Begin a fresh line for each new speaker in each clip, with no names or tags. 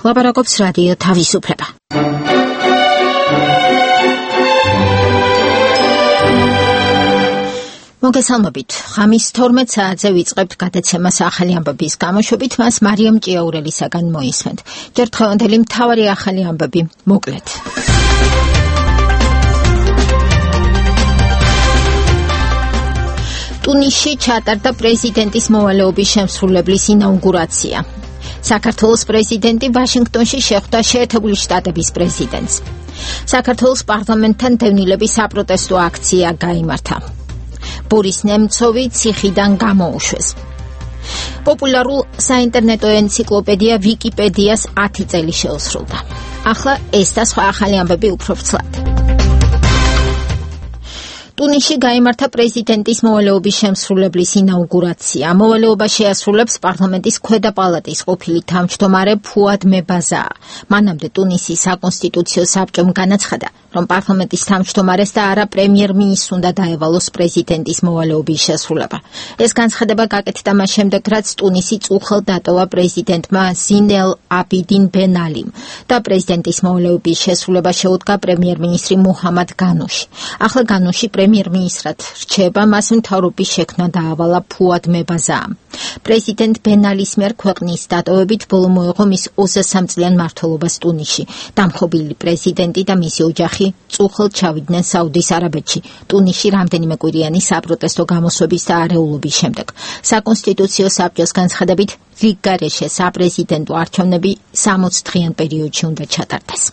ლაპარაკობს რადიო თავისუფლება. მოგესალმებით. ხამის 12 საათზე ვიწყებთ გადაცემას ახალი ამბების გამოშვებით, მას მარიამ ჭიაურელისაგან მოისმენთ. ჯერ დღევანდელი მთავარი ახალი ამბები მოკლედ. ტუნისში ჩატარდა პრეზიდენტის მოვალეობის შემსრულებლის ინაუგურაცია. საქართველოს პრეზიდენტი ვაშინგტონში შეხვდა შეერთებული შტატების პრეზიდენტს. საქართველოს პარლამენტთან დევნილების საპროტესტო აქცია გაიმართა. ბორის ნემცოვი ციხიდან გამოუშვეს. პოპულარულ საინტერნეტო ენციკლოპედია ვიკიპედიას 10 წელი შეუსრულდა. ახლა ეს და სხვა ახალი ამბები უფრო ფრთლად. ტუნისში გაიმართა პრეზიდენტის მოვალეობის შემსრულებლის ინაუგურაცია. მოვალეობა შეასრულებს პარლამენტის ქვედა პალატის ყოფილი თავმჯდომარე ფუად მებაზა. მანამდე ტუნისის საკონსტიტუციო საბჭომ განაცხადა, რომ პარლამენტის თავმჯდომარეს და არა პრემიერ-მინისტრს უნდა დაევალოს პრეზიდენტის მოვალეობის შესრულება. ეს განცხადება გაკეთდა მას შემდეგ, რაც ტუნისი წუხელ დატოვა პრეზიდენტმა ზინ-ელ აბიდინ ბენ ალიმ და პრეზიდენტის მოვალეობის შესრულება შეუდგა პრემიერ-მინისტრი მუჰამად განუში. ახლა განუში პრემიერ-მინისტრად რჩება, მას მთავრობის შექმნა დაავალა ფუად მებაზამ. პრეზიდენტ ბენ ალის მიერ ქვეყნის დატოვებით ბოლო მოეღო მის 23 წლიან მმართველობას ტუნისში. დამხობილი პრეზიდენტი და მისი ოჯახი წუხელ ჩავიდნენ საუდის არაბეთში ტუნისში რამდენიმე კვირიანი საპროტესტო გამოსვების და არეულობის შემდეგ. საკონსტიტუციო საბჭოს განცხადებით, რიგ გარეშე საპრეზიდენტო არჩევნები 60 დღიან პერიოდში უნდა ჩატარდეს.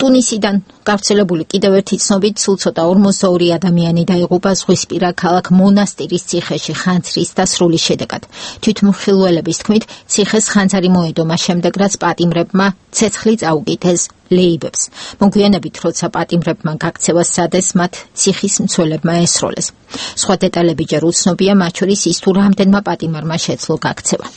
ტუნისიდან გავრცელებული კიდევ ერთი ცნობით სულ ცოტა 42 ადამიანი დაიღუპა ზღვისპირა ქალაქ მონასტირის ციხეში ხანძრის და სრულის შედეგად. თვითმხილველების თქმით, ციხეს ხანძარი მოედომა შემდეგ, რაც პატიმრებმა ცეცხლი წაუკითხეს ლეიბებს. მოგვიანებით, როცა პატიმრებმა გაქცევა სადეს, მათ ციხის მცველებმა ესროლეს. სხვა დეტალები ჯერ უცნობია, მათ შორის ის თუ რამდენმა პატიმარმა შეძლო გაქცევა.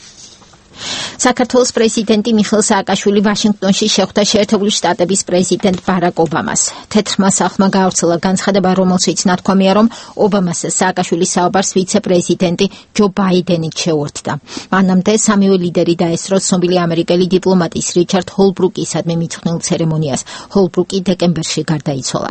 საქართველოს პრეზიდენტი მიხეილ სააკაშვილი ვაშინგტონში შეხვდა შეერთებული შტატების პრეზიდენტ ბარაკ ობამას. თეთრმა სახლმა გაავრცელა განცხადება, რომელშიც ნათქვამია, რომ ობამას სააკაშვილის საუბარს ვიცე-პრეზიდენტი ჯო ბაიდენი შეუერთდა. მანამდე სამივე ლიდერი დაესწრო ცნობილი ამერიკელი დიპლომატის რიჩარდ ჰოლბრუკისადმი მიძღვნილ ცერემონიას. ჰოლბრუკი დეკემბერში გარდაიცვალა.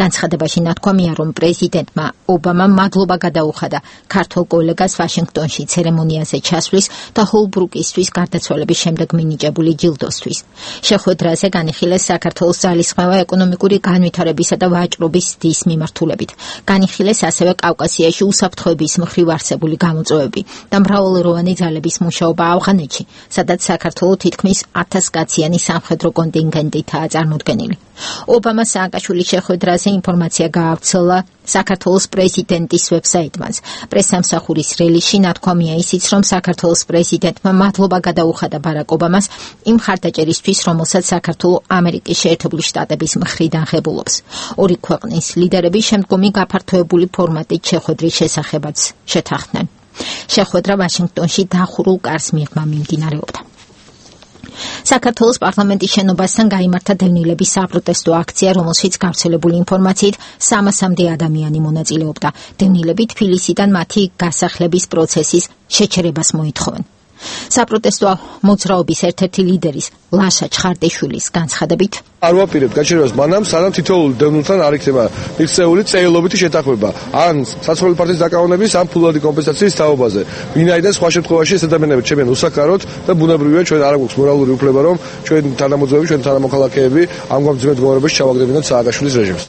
განცხადებაში ნათქვამია, რომ პრეზიდენტმა ობამამ მადლობა გადაუხადა ქართველ კოლეგას ვაშინგტონში ცერემონიაზე ჩასვლის და ჰოლბრუკისთვის გარდაცვალების შემდეგ მინიჭებული ჯილდოსთვის. შეხვედრაზე განიხილეს საქართველოს ძალისხმევა ეკონომიკური განვითარებისა და ვაჭრობის დის მიმართულებით. განიხილეს ასევე კავკასიაში უსაფრთხოების მხრივ არსებული გამოწვევები და მრავალეროვანი ძალების მუშაობა ავღანეთში, სადაც საქართველო თითქმის 1000 კაციანი სამხედრო კონტინგენტითაა წარმოდგენილი. ობამა სააკაშვილის შეხვედრაზე ინფორმაცია გაავრცელა საქართველოს პრეზიდენტის ვებსაიტმაც. პრესსამსახურის რელიზში ნათქვამია ისიც, რომ საქართველოს პრეზიდენტმა მადლობა გადაუხადა ბარაკ ობამას იმ მხარდაჭერისთვის, რომელსაც საქართველო ამერიკის შეერთებული შტატების მხრიდან ღებულობს. ორი ქვეყნის ლიდერები შემდგომი გაფართოებული ფორმატით შეხვედრის შესახებაც შეთანხმდნენ. შეხვედრა ვაშინგტონში დახურულ კარს მიღმა მიმდინარეობდა. საქართველოს პარლამენტის შენობასთან გაიმართა დევნილების საპროტესტო აქცია, რომელშიც გავრცელებული ინფორმაციით 300-მდე ადამიანი მონაწილეობდა. დევნილები თბილისიდან მათი გასახლების პროცესის შეჩერებას მოითხოვენ. საპროტესტო მოძრაობის ერთ-ერთი ლიდერის ლაშა ჩხარდაშვილის განცხადებით,
არ ვაპირებთ გაჩერებას მანამ, სანამ თითოეულ დევნილთან არ იქნება მიღწეული წერილობითი შეთანხმება ან საცხოვრებელი პარტიის დაკავონების ან ფულადი კომპენსაციის თაობაზე. ვინაიდან სხვა შემთხვევაში ეს ადამიანები ჩემენ უსაქაროთ და ბუნებრივია ჩვენ არ აქვს მორალური უფლება, რომ ჩვენ თანამოძღვეები, ჩვენ თანამოქალაქეები ამ გამძიმე მდგომარეობაში ჩავაგდებინოთ სააკაშვილის რეჟიმს.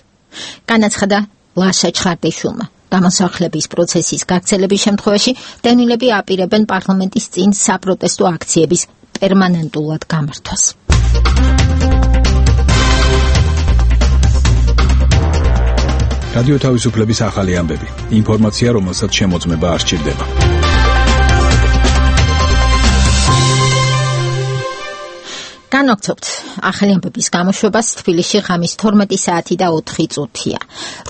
განაცხადა ლაშა ჩხარდაშვილმა. გამოსახლების პროცესის გაგრძელების შემთხვევაში დევნილები აპირებენ პარლამენტის წინ საპროტესტო აქციების პერმანენტულად გამართვას.
რადიო თავისუფლების ახალი ამბები. ინფორმაცია, რომელსაც შემოწმება არ სჭირდება.
განვაგრძობთ ახალი ამბების გამოშვებას. თბილისში ღამის 12 საათი და 4 წუთია.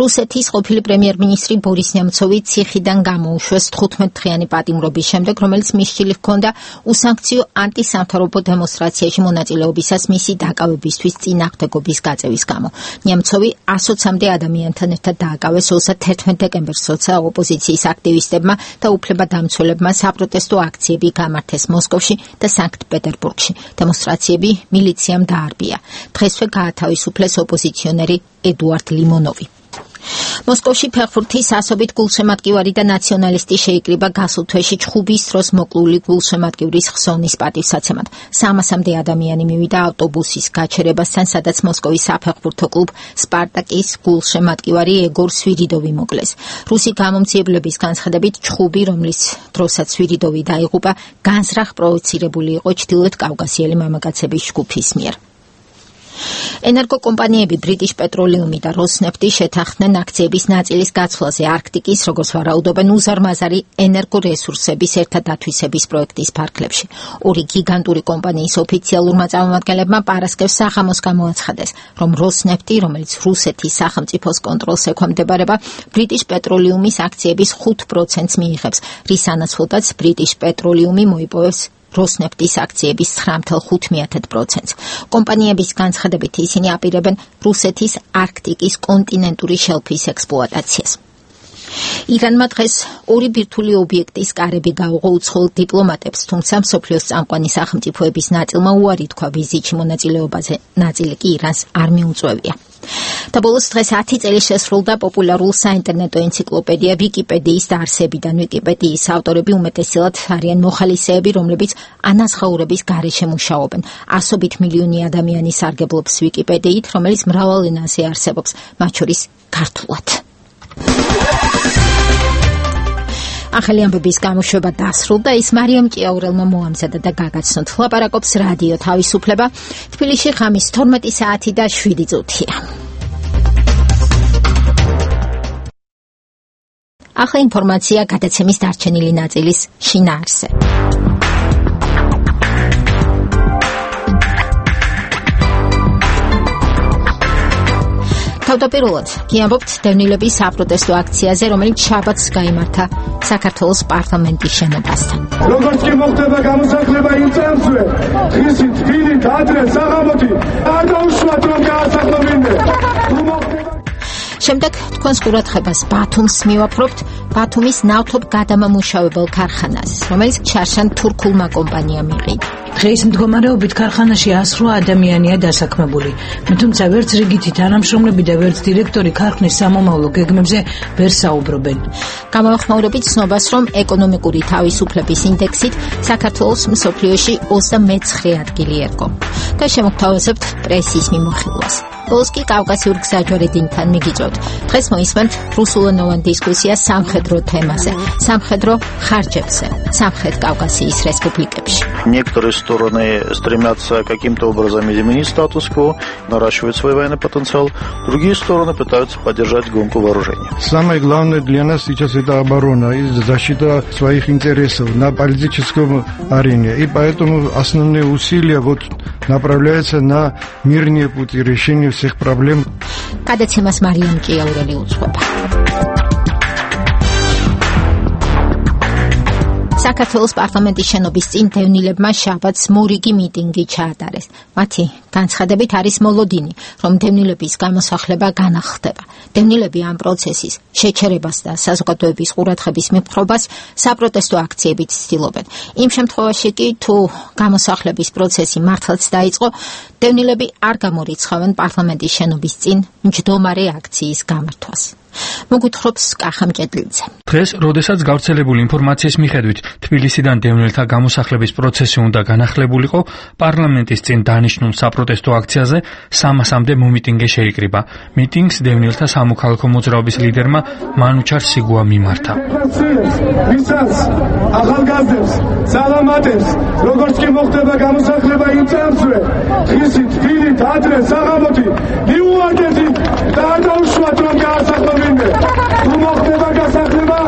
რუსეთის ყოფილი პრემიერ-მინისტრი ბორის ნემცოვი ციხიდან გამოუშვეს 15-დღიანი პატიმრობის შემდეგ, რომელიც მისჯილი ჰქონდა უსანქციო ანტისამთავრობო დემონსტრაციაში მონაწილეობისას მისი დაკავებისთვის წინააღმდეგობის გაწევის გამო. ნემცოვი 120-მდე ადამიანთან ერთად დააკავეს 31 დეკემბერს, როცა ოპოზიციის აქტივისტებმა და უფლებადამცველებმა საპროტესტო აქციები გამართეს მოსკოვში და სანქტ-პეტერბურგში. დემონსტრაციები მილიციამ დაარბია. დღესვე გაათავისუფლეს ოპოზიციონერი ედუარდ ლიმონოვი. მოსკოვში ფეხბურთის ასობით გულშემატკივარი და ნაციონალისტი შეიკრიბა გასულ თვეში ჩხუბის დროს მოკლული გულშემატკივრის ხსოვნის პატივსაცემად. 300-მდე ადამიანი მივიდა ავტობუსის გაჩერებასთან, სადაც მოსკოვის საფეხბურთო კლუბ სპარტაკის გულშემატკივარი ეგორ სვირიდოვი მოკლეს. რუსი გამომძიებლების განცხადებით, ჩხუბი, რომლის დროსაც სვირიდოვი დაიღუპა, განზრახ პროვოცირებული იყო ჩრდილოეთ კავკასიელი მამაკაცების ჯგუფის მიერ. ენერგოკომპანიები ბრიტიშ პეტროლიუმი და როსნეფტი შეთანხმდნენ აქციების ნაწილის გაცვლაზე არქტიკის, როგორც ვარაუდობენ, უზარმაზარი ენერგორესურსების ერთად დათვისების პროექტის ფარგლებში. ორი გიგანტური კომპანიის ოფიციალურმა წარმომადგენლებმა პარასკევს საღამოს გამოაცხადეს, რომ როსნეფტი, რომელიც რუსეთის სახელმწიფოს კონტროლს ექვემდებარება, ბრიტიშ პეტროლიუმის აქციების 5%-ს მიიღებს, რის ანაცვლოდაც ბრიტიშ პეტროლიუმი მოიპოვებს როსნეფტის აქციების 9.5%-ს. კომპანიების განცხადებით ისინი აპირებენ რუსეთის არქტიკის კონტინენტური შელფის ექსპლუატაციას. ირანმა დღეს ორი ბირთვული ობიექტის კარები გაუღო უცხოელ დიპლომატებს, თუმცა მსოფლიოს წამყვანი სახელმწიფოების ნაწილმა უარი თქვა ვიზიტში მონაწილეობაზე, ნაწილი კი ირანს არ მიუწვევია. და ბოლოს დღეს 10 წელი შესრულდა პოპულარულ საინტერნეტო ენციკლოპედია ვიკიპედიის დაარსებიდან. ვიკიპედიის ავტორები უმეტესწილად არიან მოხალისეები, რომლებიც ანაზღაურების გარეშე მუშაობენ. ასობით მილიონი ადამიანი სარგებლობს ვიკიპედიით, რომელიც მრავალ ენაზე არსებობს, მათ შორის ქართულად. ახალი ამბების გამოშვება დასრულდა. ის მარიამ ჭიაურელმა მოამზადა და გაგაცნოთ. ლაპარაკობს რადიო თავისუფლება. თბილისში ღამის 12 საათი და 7 წუთია. ახლა ინფორმაცია გადაცემის დარჩენილი ნაწილის შინაარსზე. თავდაპირველად გიამბობთ დევნილების საპროტესტო აქციაზე, რომელიც შაბათს გაიმართა საქართველოს პარლამენტის შენობასთან.
როგორც კი მოხდება გამოსახლება იმ წამსვე, დღისით, თბილით, ადრე, საღამოთი, არ დაუშვათ რომ გაასახლობინდე.
შემდეგ თქვენს ყურადღებას ბათუმს მივაფრობთ, ბათუმის ნავთობ გადამამუშავებელ ქარხანას, რომელიც ჩარშან თურქულმა კომპანიამ იყიდა.
დღეის მდგომარეობით ქარხანაში 108 ადამიანია დასაქმებული, თუმცა ვერც რიგითი თანამშრომლები და ვერც დირექტორი ქარხნის სამომავლო გეგმებზე ვერ საუბრობენ.
გამოვახმაურებით ცნობას, რომ ეკონომიკური თავისუფლების ინდექსით საქართველოს მსოფლიოში 29 ადგილი ერგო. და შემოგთავაზებთ პრესის მიმოხილვას. ბოლოს კი კავკასიურ გზაჯვარედინთან მიგიწევთ. დღეს მოისმენთ რუსულენოვან დისკუსიას სამხედრო თემაზე, სამხედრო ხარჯებზე, სამხრეთ კავკასიის республикებში.
Некоторые стороны стремятся каким-то образом изменить статус-кво, наращивать свой военный потенциал, другие стороны пытаются поддержать гонку вооружений.
Самое главное для нас сейчас это оборона и защита своих интересов на политическом арене. И поэтому основные усилия направляются на мирные пути решения всех проблем.
გადაცემას მარიამ ჭიაურელი უძღვება. საქართველოს პარლამენტის შენობის წინ დევნილებმა შაბათს მორიგი მიტინგი ჩაატარეს. მათი განცხადებით არის მოლოდინი, რომ დევნილების გამოსახლება განახლდება. დევნილები ამ პროცესის შეჩერებას და საზოგადოების ყურადღების მიფრობას საპროტესტო აქციებით ცდილობენ. იმ შემთხვევაში კი, თუ გამოსახლების პროცესი მართლაც დაიწყო, დევნილები არ გამორიცხავენ პარლამენტის შენობის წინ მჯდომარე აქციის გამართვას. მოგვითხრობს კახა მჭედლიძე.
დღეს, როდესაც გავრცელებული ინფორმაციის მიხედვით თბილისიდან დევნილთა გამოსახლების პროცესი უნდა განახლებულიყო, პარლამენტის წინ დანიშნულ საპროტესტო აქციაზე 300-მდე მომიტინგე შეიკრიბა. მიტინგს დევნილთა სამოქალაქო მოძრაობის ლიდერმა მანუჩარ სიგუა მიმართა.
ვისაც ახალგაზრდებს, სალამატებს, როგორც კი მოხდება გამოსახლება იმ წამსვე, დღისით, თბილით, ადრე, საღამოთი, მიუვარდეთ და არ დაუშვათ რომ გაასახლობინდე. თუ მოხდება გასახლება,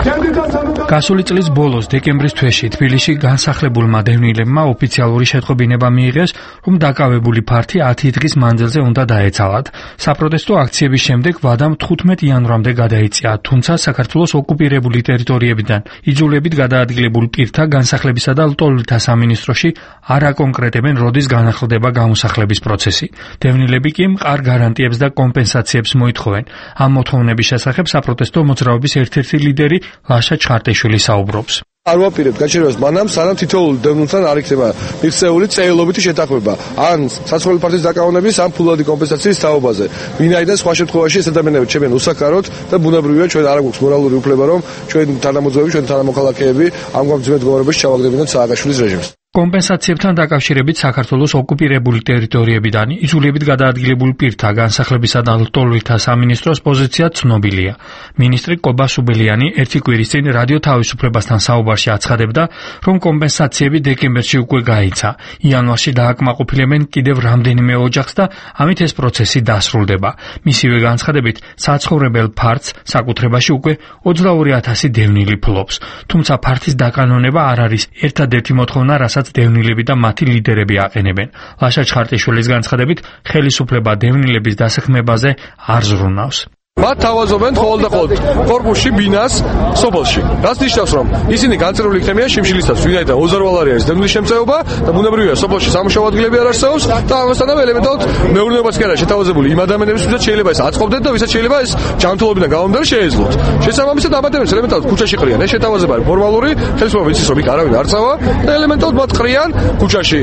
ჩემთვის და სამოქალაქო
გასული წლის ბოლოს დეკემბრის თვეში თბილისში განსახლებულმა დევნილებმა ოფიციალური შეტყობინება მიიღეს, რომ დაკავებული ფართი 10 დღის მანძილზე უნდა დაეცალათ. საპროტესტო აქციების შემდეგ ვადამ 15 იანვრამდე გადაიწია, თუმცა საქართველოს ოკუპირებული ტერიტორიებიდან იძულებით გადაადგილებულ პირთა განსახლებისა და ლტოლვილთა სამინისტროში არ აკონკრეტებენ, როდის განახლდება გამოსახლების პროცესი. დევნილები კი მყარ გარანტიებს და კომპენსაციებს მოითხოვენ. ამ მოთხოვნების შესახებ საპროტესტო მოძრაობის ერთ-ერთი ლიდერი ლაშა ჩხარტიშვილი საუბრობს.
არ ვაპირებთ გაჩერებას მანამ, სანამ თითოეულ დევნილთან არ იქნება მიღწეული წერილობითი შეთანხმება ან საცხოვრებელი ფართის დაკავონების ან ფულადი კომპენსაციის თაობაზე. ვინაიდან სხვა შემთხვევაში ეს ადამიანები ჩემენ უსაქაროთ და ბუნებრივია ჩვენ არ აქვს მორალური უფლება, რომ ჩვენ თანამოძღვები, ჩვენ თანამოქალაქეები ამგვარ ძმეთ მდგომარეობაში ჩავაგდებინოთ სააკაშვილის რეჟიმს. კომპენსაციებთან დაკავშირებით საქართველოს ოკუპირებული ტერიტორიებიდან იძულებით გადაადგილებულ პირთა განსახლებისა და ლტოლვილთა სამინისტროს პოზიცია ცნობილია. მინისტრი კობა სუბელიანი ერთი კვირის წინ რადიო თავისუფლებასთან საუბარში აცხადებდა, რომ კომპენსაციები დეკემბერში უკვე გაიცა. იანვარში დააკმაყოფილებენ კიდევ რამდენიმე ოჯახს და ამით ეს პროცესი დასრულდება. მისივე განცხადებით, საცხოვრებელ ფართს საკუთრებაში უკვე 22,000 დევნილი ფლობს. თუმცა ფართის დაკანონება არ არის ერთადერთი მოთხოვნა, რასაც დევნილები და მათი ლიდერები აყენებენ. ლაშა ჩხარტიშვილის განცხადებით, ხელისუფლება დევნილების დასაქმებაზე არ ზრუნავს. მათ თავაზობენ ხოლმე და ხოლმე კორპუსში ბინას სოფელში. რაც ნიშნავს, რომ ისინი განწერული იქნებიან შიმშილისას, ვინაიდან 20 არის დევნილის შემწეობა და ბუნებრივია სოფელში სამუშაო ადგილები არ არსებობს და ამასთანავე ელემენტარულად მეურნეობაც კი არა შეთავაზებული იმ ადამიანების, ვისაც შეიძლება ეს აწყობდნენ და ვისაც შეიძლება ეს ჯანმრთელობიდან გამომდინარე შეეძლოთ. შესაბამისად ამ ადამიანებს ელემენტარულად ქუჩაში ყრიან. ეს შეთავაზება არის ფორმალური, ხელისუფლება იცის, რომ იქ არავინ არ წავა და ელემენტარულად მათ ყრიან ქუჩაში.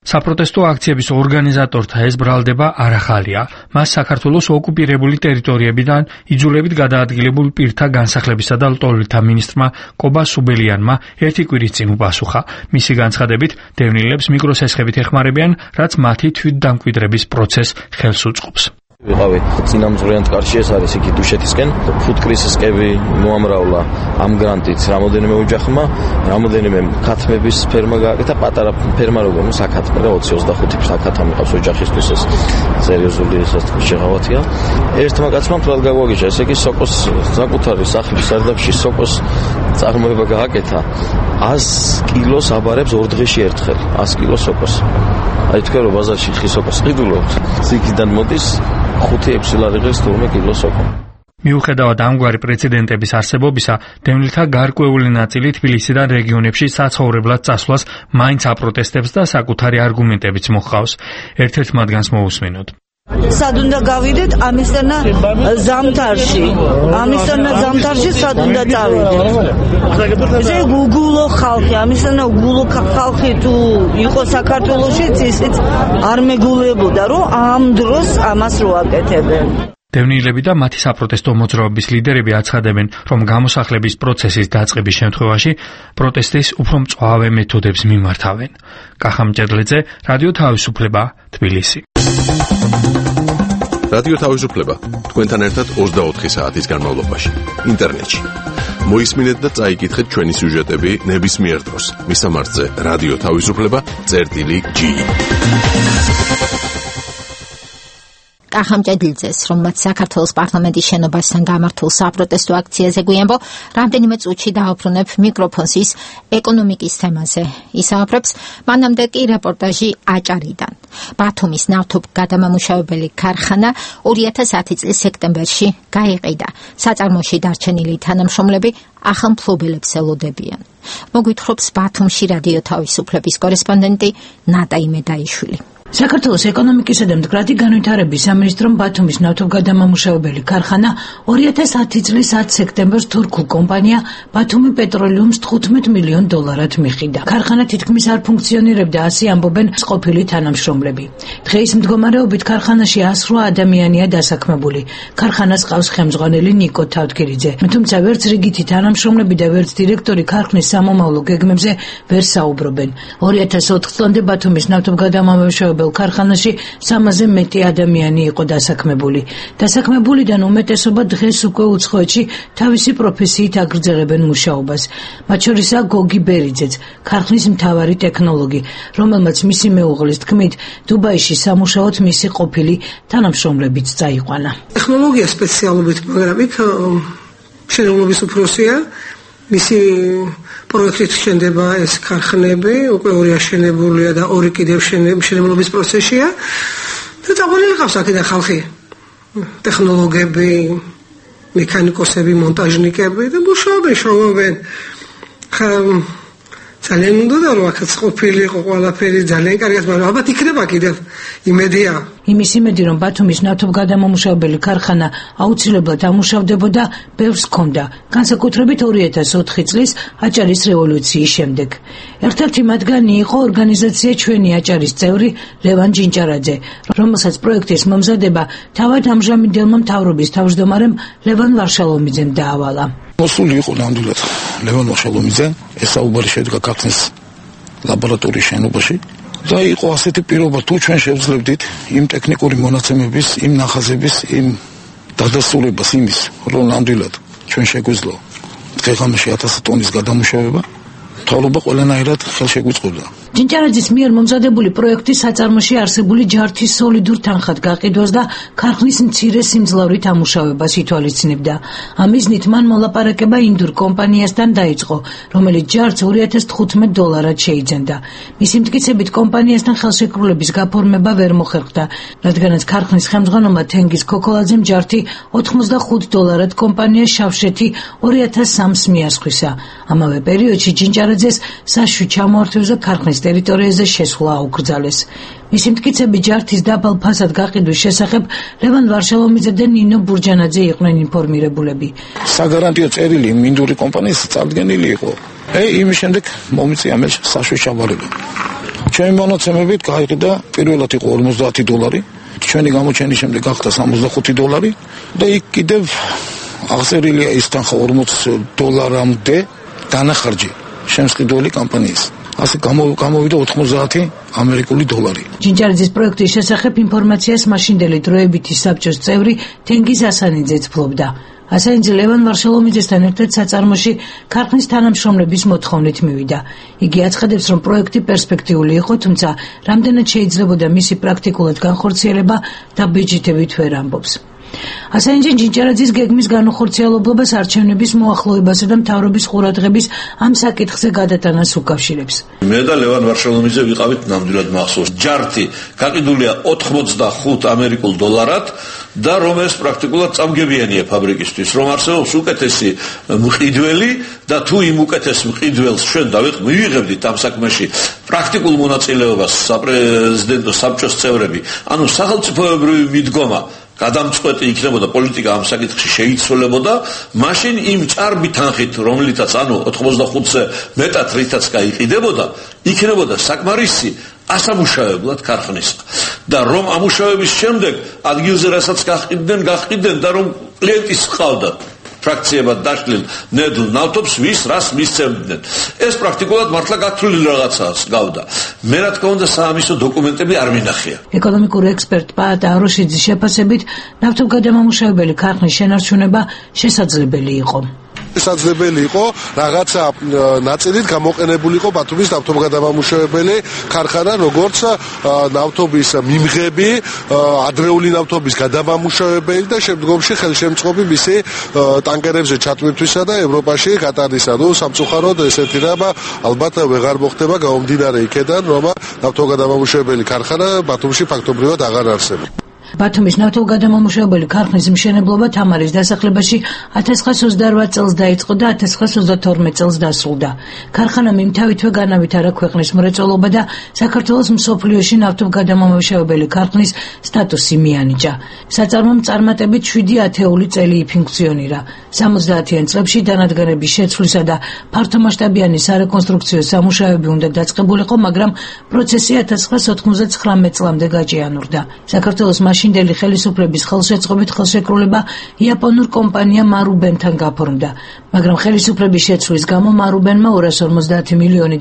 საპროტესტო აქციების ორგანიზატორთა ეს ბრალდება არ ახალია. მას საქართველოს ოკუპირებული ტერიტორიებიდან იძულებით გადაადგილებულ პირთა განსახლებისა და ლტოლვილთა მინისტრმა კობა სუბელიანმა ერთი კვირის წინ უპასუხა. მისი განცხადებით, დევნილებს მიკროსესხებით ეხმარებიან, რაც მათი თვითდამკვიდრების პროცესს ხელს უწყობს.
ვიყავი წინამძღვრიანთ კარში, ეს არის იქ დუშეთისკენ, ფუტკრისისკები მოამრავლა ამ გრანტით რამოდენიმე ოჯახმა, რამოდენიმე ქათმების ფერმა გააკეთა, პატარა ფერმა როგორ საკათმე რა 20-25 საკათა მიყავს ოჯახისთვის, ეს სერიოზული შეღავათია. ერთმა კაცმა თვალ გაგვაგიჟა, ესე იგი სოკოს საკუთარი სახლის სარდაფში სოკოს წარმოება გააკეთა, 100 კილოს აბარებს 2 დღეში ერთხელ, 100 კილოს სოკოს. აი თქვენ რომ ბაზარში ხი სოკოს ყიდულობთ, ციგიდან მოდის 5-6 ლარიღებს 12 კილოს სოკო.
მიუხედავად ამგვარი პრეცედენტების არსებობისა, დევნილთა გარკვეული ნაწილი თბილისიდან რეგიონებში საცხოვრებლად წასვლას მაინც აპროტესტებს და საკუთარი არგუმენტებიც მოჰყავს. ერთ-ერთ მათგანს მოусმინოთ.
სად უნდა გავიდეთ ამისთანა ზამთარში სად უნდა წავიდეთ. ეს უგულო ხალხი, ამისთანა უგულო ხალხი თუ იყო საქართველოში, ისიც არ მეგულებოდა, რომ ამ დროს ამას რო აკეთებენ.
დევნილები და მათი საპროტესტო მოძრაობის ლიდერები აცხადებენ, რომ გამოსახლების პროცესის დაწყების შემთხვევაში პროტესტის უფრო მწვავე მეთოდებს მიმართავენ. კახა მჭედლიძე, რადიო თავისუფლება, თბილისი.
რადიო თავისუფლება თქვენთან ერთად 24 საათის განმავლობაში ინტერნეტში. მოისმინეთ და წაიკითხეთ ჩვენი სიუჟეტები ნებისმიერ დროს. მისამართზე რადიო თავისუფლება.gi.
კახა მჭედლიძეს, რომელმაც საქართველოს პარლამენტის შენობასთან გამართულ საპროტესტო აქციაზე გვიანბო, რამდენიმე წუთში დააბრუნებ მიკროფონს ის ეკონომიკის თემაზე. ისაუბრებს მანამდე კი რეპორტაჟი აჭარიდან. ბათუმის ნავთობგადამამუშავებელი ქარხანა 2010 წლის სექტემბერში გაიყიდა. საწარმოში დარჩენილი თანამშრომლები ახალ მფლობელებს ელოდებიან. მოგვითხრობს ბათუმში რადიო თავისუფლების კორესპონდენტი ნატა იმედაიშვილი.
საქართველოს ეკონომიკისა და მდგრადი განვითარების სამინისტრომ ბათუმის ნავთობგადამამუშავებელი ქარხანა 2010 წლის 10 სექტემბერს თურქულ კომპანია ბათუმი პეტროლიუმს $15 მილიონ მიხიდა. ქარხანა თითქმის არ ფუნქციონირებდა, ასე ამბობენ ყოფილი თანამშრომლები. დღეის მდგომარეობით ქარხანაში 108 ადამიანია დასაქმებული. ქარხანას ყავს ხელმძღვანელი ნიკო თავდგირიძე. თუმცა ვერც რიგითი თანამშრომლები და ვერც დირექტორი ქარხნის სამომავლო გეგმებზე ვერ საუბრობენ. 2004 წლამდე ბათუმის ნავთობგადამამუშავებელი ქარხანაში 300-ზე მეტი ადამიანი იყო დასაქმებული. დასაქმებულიდან უმეტესობა დღეს უკვე უცხოეთში თავისი პროფესიით აგრძელებენ მუშაობას. მათ შორისაა გოგი ბერიძეც, ქარხნის მთავარი ტექნოლოგი, რომელმაც მისი მეუღლის თქმით, დუბაიში სამუშაოდ მისი ყოფილი თანამშრომლებიც წაიყვანა.
ტექნოლოგია სპეციალობით, მაგრამ იქ შენელობის უფროსია. მისი პროექტით შენდება ეს ქარხნები, უკვე ორი აშენებულია და ორი კიდევ მშენებლობის პროცესია. და წავალილი ყავს აქედან ხალხი. ტექნოლოგები, მექანიკოსები, მონტაჟნიკები და მუშაობენ. ძალიან უნდა რომ აქაც ყოფილიყო ყველაფერი ძალიან კარგად, მაგრამ ალბათ იქნება კიდევ იმედია.
იმის იმედი, რომ ბათუმის ნავთობგადამამუშავებელი ქარხანა აუცილებლად ამუშავდებოდა, ბევრს ჰქონდა, განსაკუთრებით 2004 წლის აჭარის რევოლუციის შემდეგ. ერთ-ერთი მათგანი იყო ორგანიზაცია ჩვენი აჭარის წევრი ლევან ჯინჭარაძე, რომელსაც პროექტის მომზადება თავად ამჟამინდელმა მთავრობის თავმჯდომარემ ლევან ვარშალომიძემ დაავალა.
მოსული იყო ნამდვილად ლევან ვარშალომიძე, ეს საუბარი შედგა ქართლის ლაბორატორიის შენობაში. და იყო ასეთი პირობა, თუ ჩვენ შევძლებდით იმ ტექნიკური მონაცემების, იმ ნახაზების, იმ დადასტურებას იმის, რომ ნამდვილად ჩვენ შეგვეძლო დღე-ღამეში 1000 ტონის გადამუშავება, მთავრობა ყველანაირად ხელშეგვიწყობდა.
ჯინჭარაძის მიერ მომზადებული პროექტი საწარმოში არსებული ჯართის სოლიდურ თანხად გაყიდვას და ქარხნის მცირე სიმძლავრით ამუშავებას ითვალისწინებდა. ამ მიზნით მან მოლაპარაკება ინდურ კომპანიასთან დაიწყო, რომელიც ჯართს $2015 შეიძენდა. მისი მტკიცებით კომპანიასთან ხელშეკრულების გაფორმება ვერ მოხერხდა, რადგანაც ქარხნის ხელმძღვანელმა თენგიზ ქოქოლაძემ ჯართი $85 კომპანია შავშეთი 2003-ს მიასხვისა. ამავე პერიოდში ჯინჭარაძეს საშუთ ჩამოართვევზე ქარხნის ტერიტორიაზე შესვლა აუკრძალეს. მისი მტკიცებით ჯართის დაბალ ფასად გაყიდვის შესახებ ლევან ვარშალომიძე და ნინო ბურჯანაძე იყვნენ ინფორმირებულები.
საგარანტიო წერილი მინდური კომპანიის წარდგენილი იყო. იმის შემდეგ მომიწია მე საშუთ ჩაბარება. ჩვენი მონაცემებით გაიყიდა პირველად იყო $50, ჩვენი გამოჩენის შემდეგ გახდა $65 და იქ კიდევ აღწერილია ის თანხა $40-მდე დანახარჯი შემსყიდველი კომპანიის. ასე გამოვიდა $90 ამერიკული დოლარი.
ჯინჭარაძის პროექტის შესახებ ინფორმაციას მაშინდელი დროებითი საბჭოს წევრი თენგიზ ასანიძეც ფლობდა. ასანიძე ლევან ვარშალომიძესთან ერთად საწარმოში ქარხნის თანამშრომლების მოთხოვნით მივიდა. იგი აცხადებს, რომ პროექტი პერსპექტიული იყო, თუმცა რამდენად შეიძლებოდა მისი პრაქტიკულად განხორციელება დაბეჭდებით ვერ ამბობს. ასანიძე ჯინჭარაძის გეგმის განუხორციელებლობას არჩევნების მოახლოებასა და მთავრობის ყურადღების ამ საკითხზე გადატანას უკავშირებს.
მე და ლევან ვარშალომიძე ვიყავით ნამდვილად მახსოვს. ჯართი გაყიდულია $80 და რომ ეს პრაქტიკულად წამგებიანია ფაბრიკისთვის, რომ არსებობს უკეთესი მყიდველი და თუ იმ უკეთეს მყიდველს ჩვენ მივიღებდით ამ საქმეში პრაქტიკულ მონაწილეობას საპრეზიდენტო საბჭოს წევრები, ანუ სახელმწიფოებრივი მიდგომა გადამწყვეტი იქნებოდა პოლიტიკა ამ საკითხში შეიცვალებოდა, მაშინ იმ ჭარბი თანხით, რომლითაც ანუ 85-ზე მეტად რითაც გაიყიდებოდა, იქნებოდა საკმარისი ასამუშავებლად ქარხნის. და რომ ამუშავების შემდეგ ადგილზე რასაც გაყიდნენ და რომ კლიენტის ყავდა ფრაქციებად დაშლილ ნედლ ნავთობს ვის რას მისცემდნენ. ეს პრაქტიკულად მართლა გათვლილი რაღაცას გავდა. მე რა თქმა უნდა საამისო დოკუმენტები არ მინახია.
ეკონომიკური ექსპერტ პაატა აროშიძის შეფასებით ნავთობგადამამუშავებელი ქარხნის შენარჩუნება შესაძლებელი იყო.
შესაძლებელი იყო რაღაცა ნაწილით გამოყენებულიყო ბათუმის ნავთობგადამამუშავებელი ქარხანა, როგორც ნავთობის მიმღები, ადრეული ნავთობის გადამამუშავებელი და შემდგომში ხელშემწყობი მისი ტანკერებზე ჩატვირთვისა და ევროპაში გატარისა. სამწუხაროდ ესეთი რამ ალბათ ვეღარ მოხდება გამომდინარე იქედან, რომ ნავთობგადამამუშავებელი ქარხანა ბათუმში ფაქტობრივად აღარ არსებობს.
ბათუმის ნავთობგადამამუშავებელი ქარხნის მშენებლობა თამარის დასახლებაში 1928 წელს დაიწყო და 1932 წელს დასრულდა. ქარხანამ იმთავითვე განავითარა ქვეყნის მრეწველობა და საქართველოს მსოფლიოში ნავთობგადამამუშავებელი ქარხნის სტატუსი მიანიჭა. საწარმომ წარმატებით 7 ათეული წელი იფუნქციონირა. 70-იან წლებში დანადგარების შეცვლისა და ფართომასშტაბიანი სარეკონსტრუქციო სამუშაოები უნდა დაწყებულიყო, მაგრამ პროცესი 1999 წლამდე გაჭიანურდა. საქართველოს მაშინდელი ხელისუფლების ხელშეწყობით ხელშეკრულება იაპონურ კომპანია მარუბენთან გაფორმდა, მაგრამ ხელისუფლების შეცვლის გამო მარუბენმა $250 მილიონი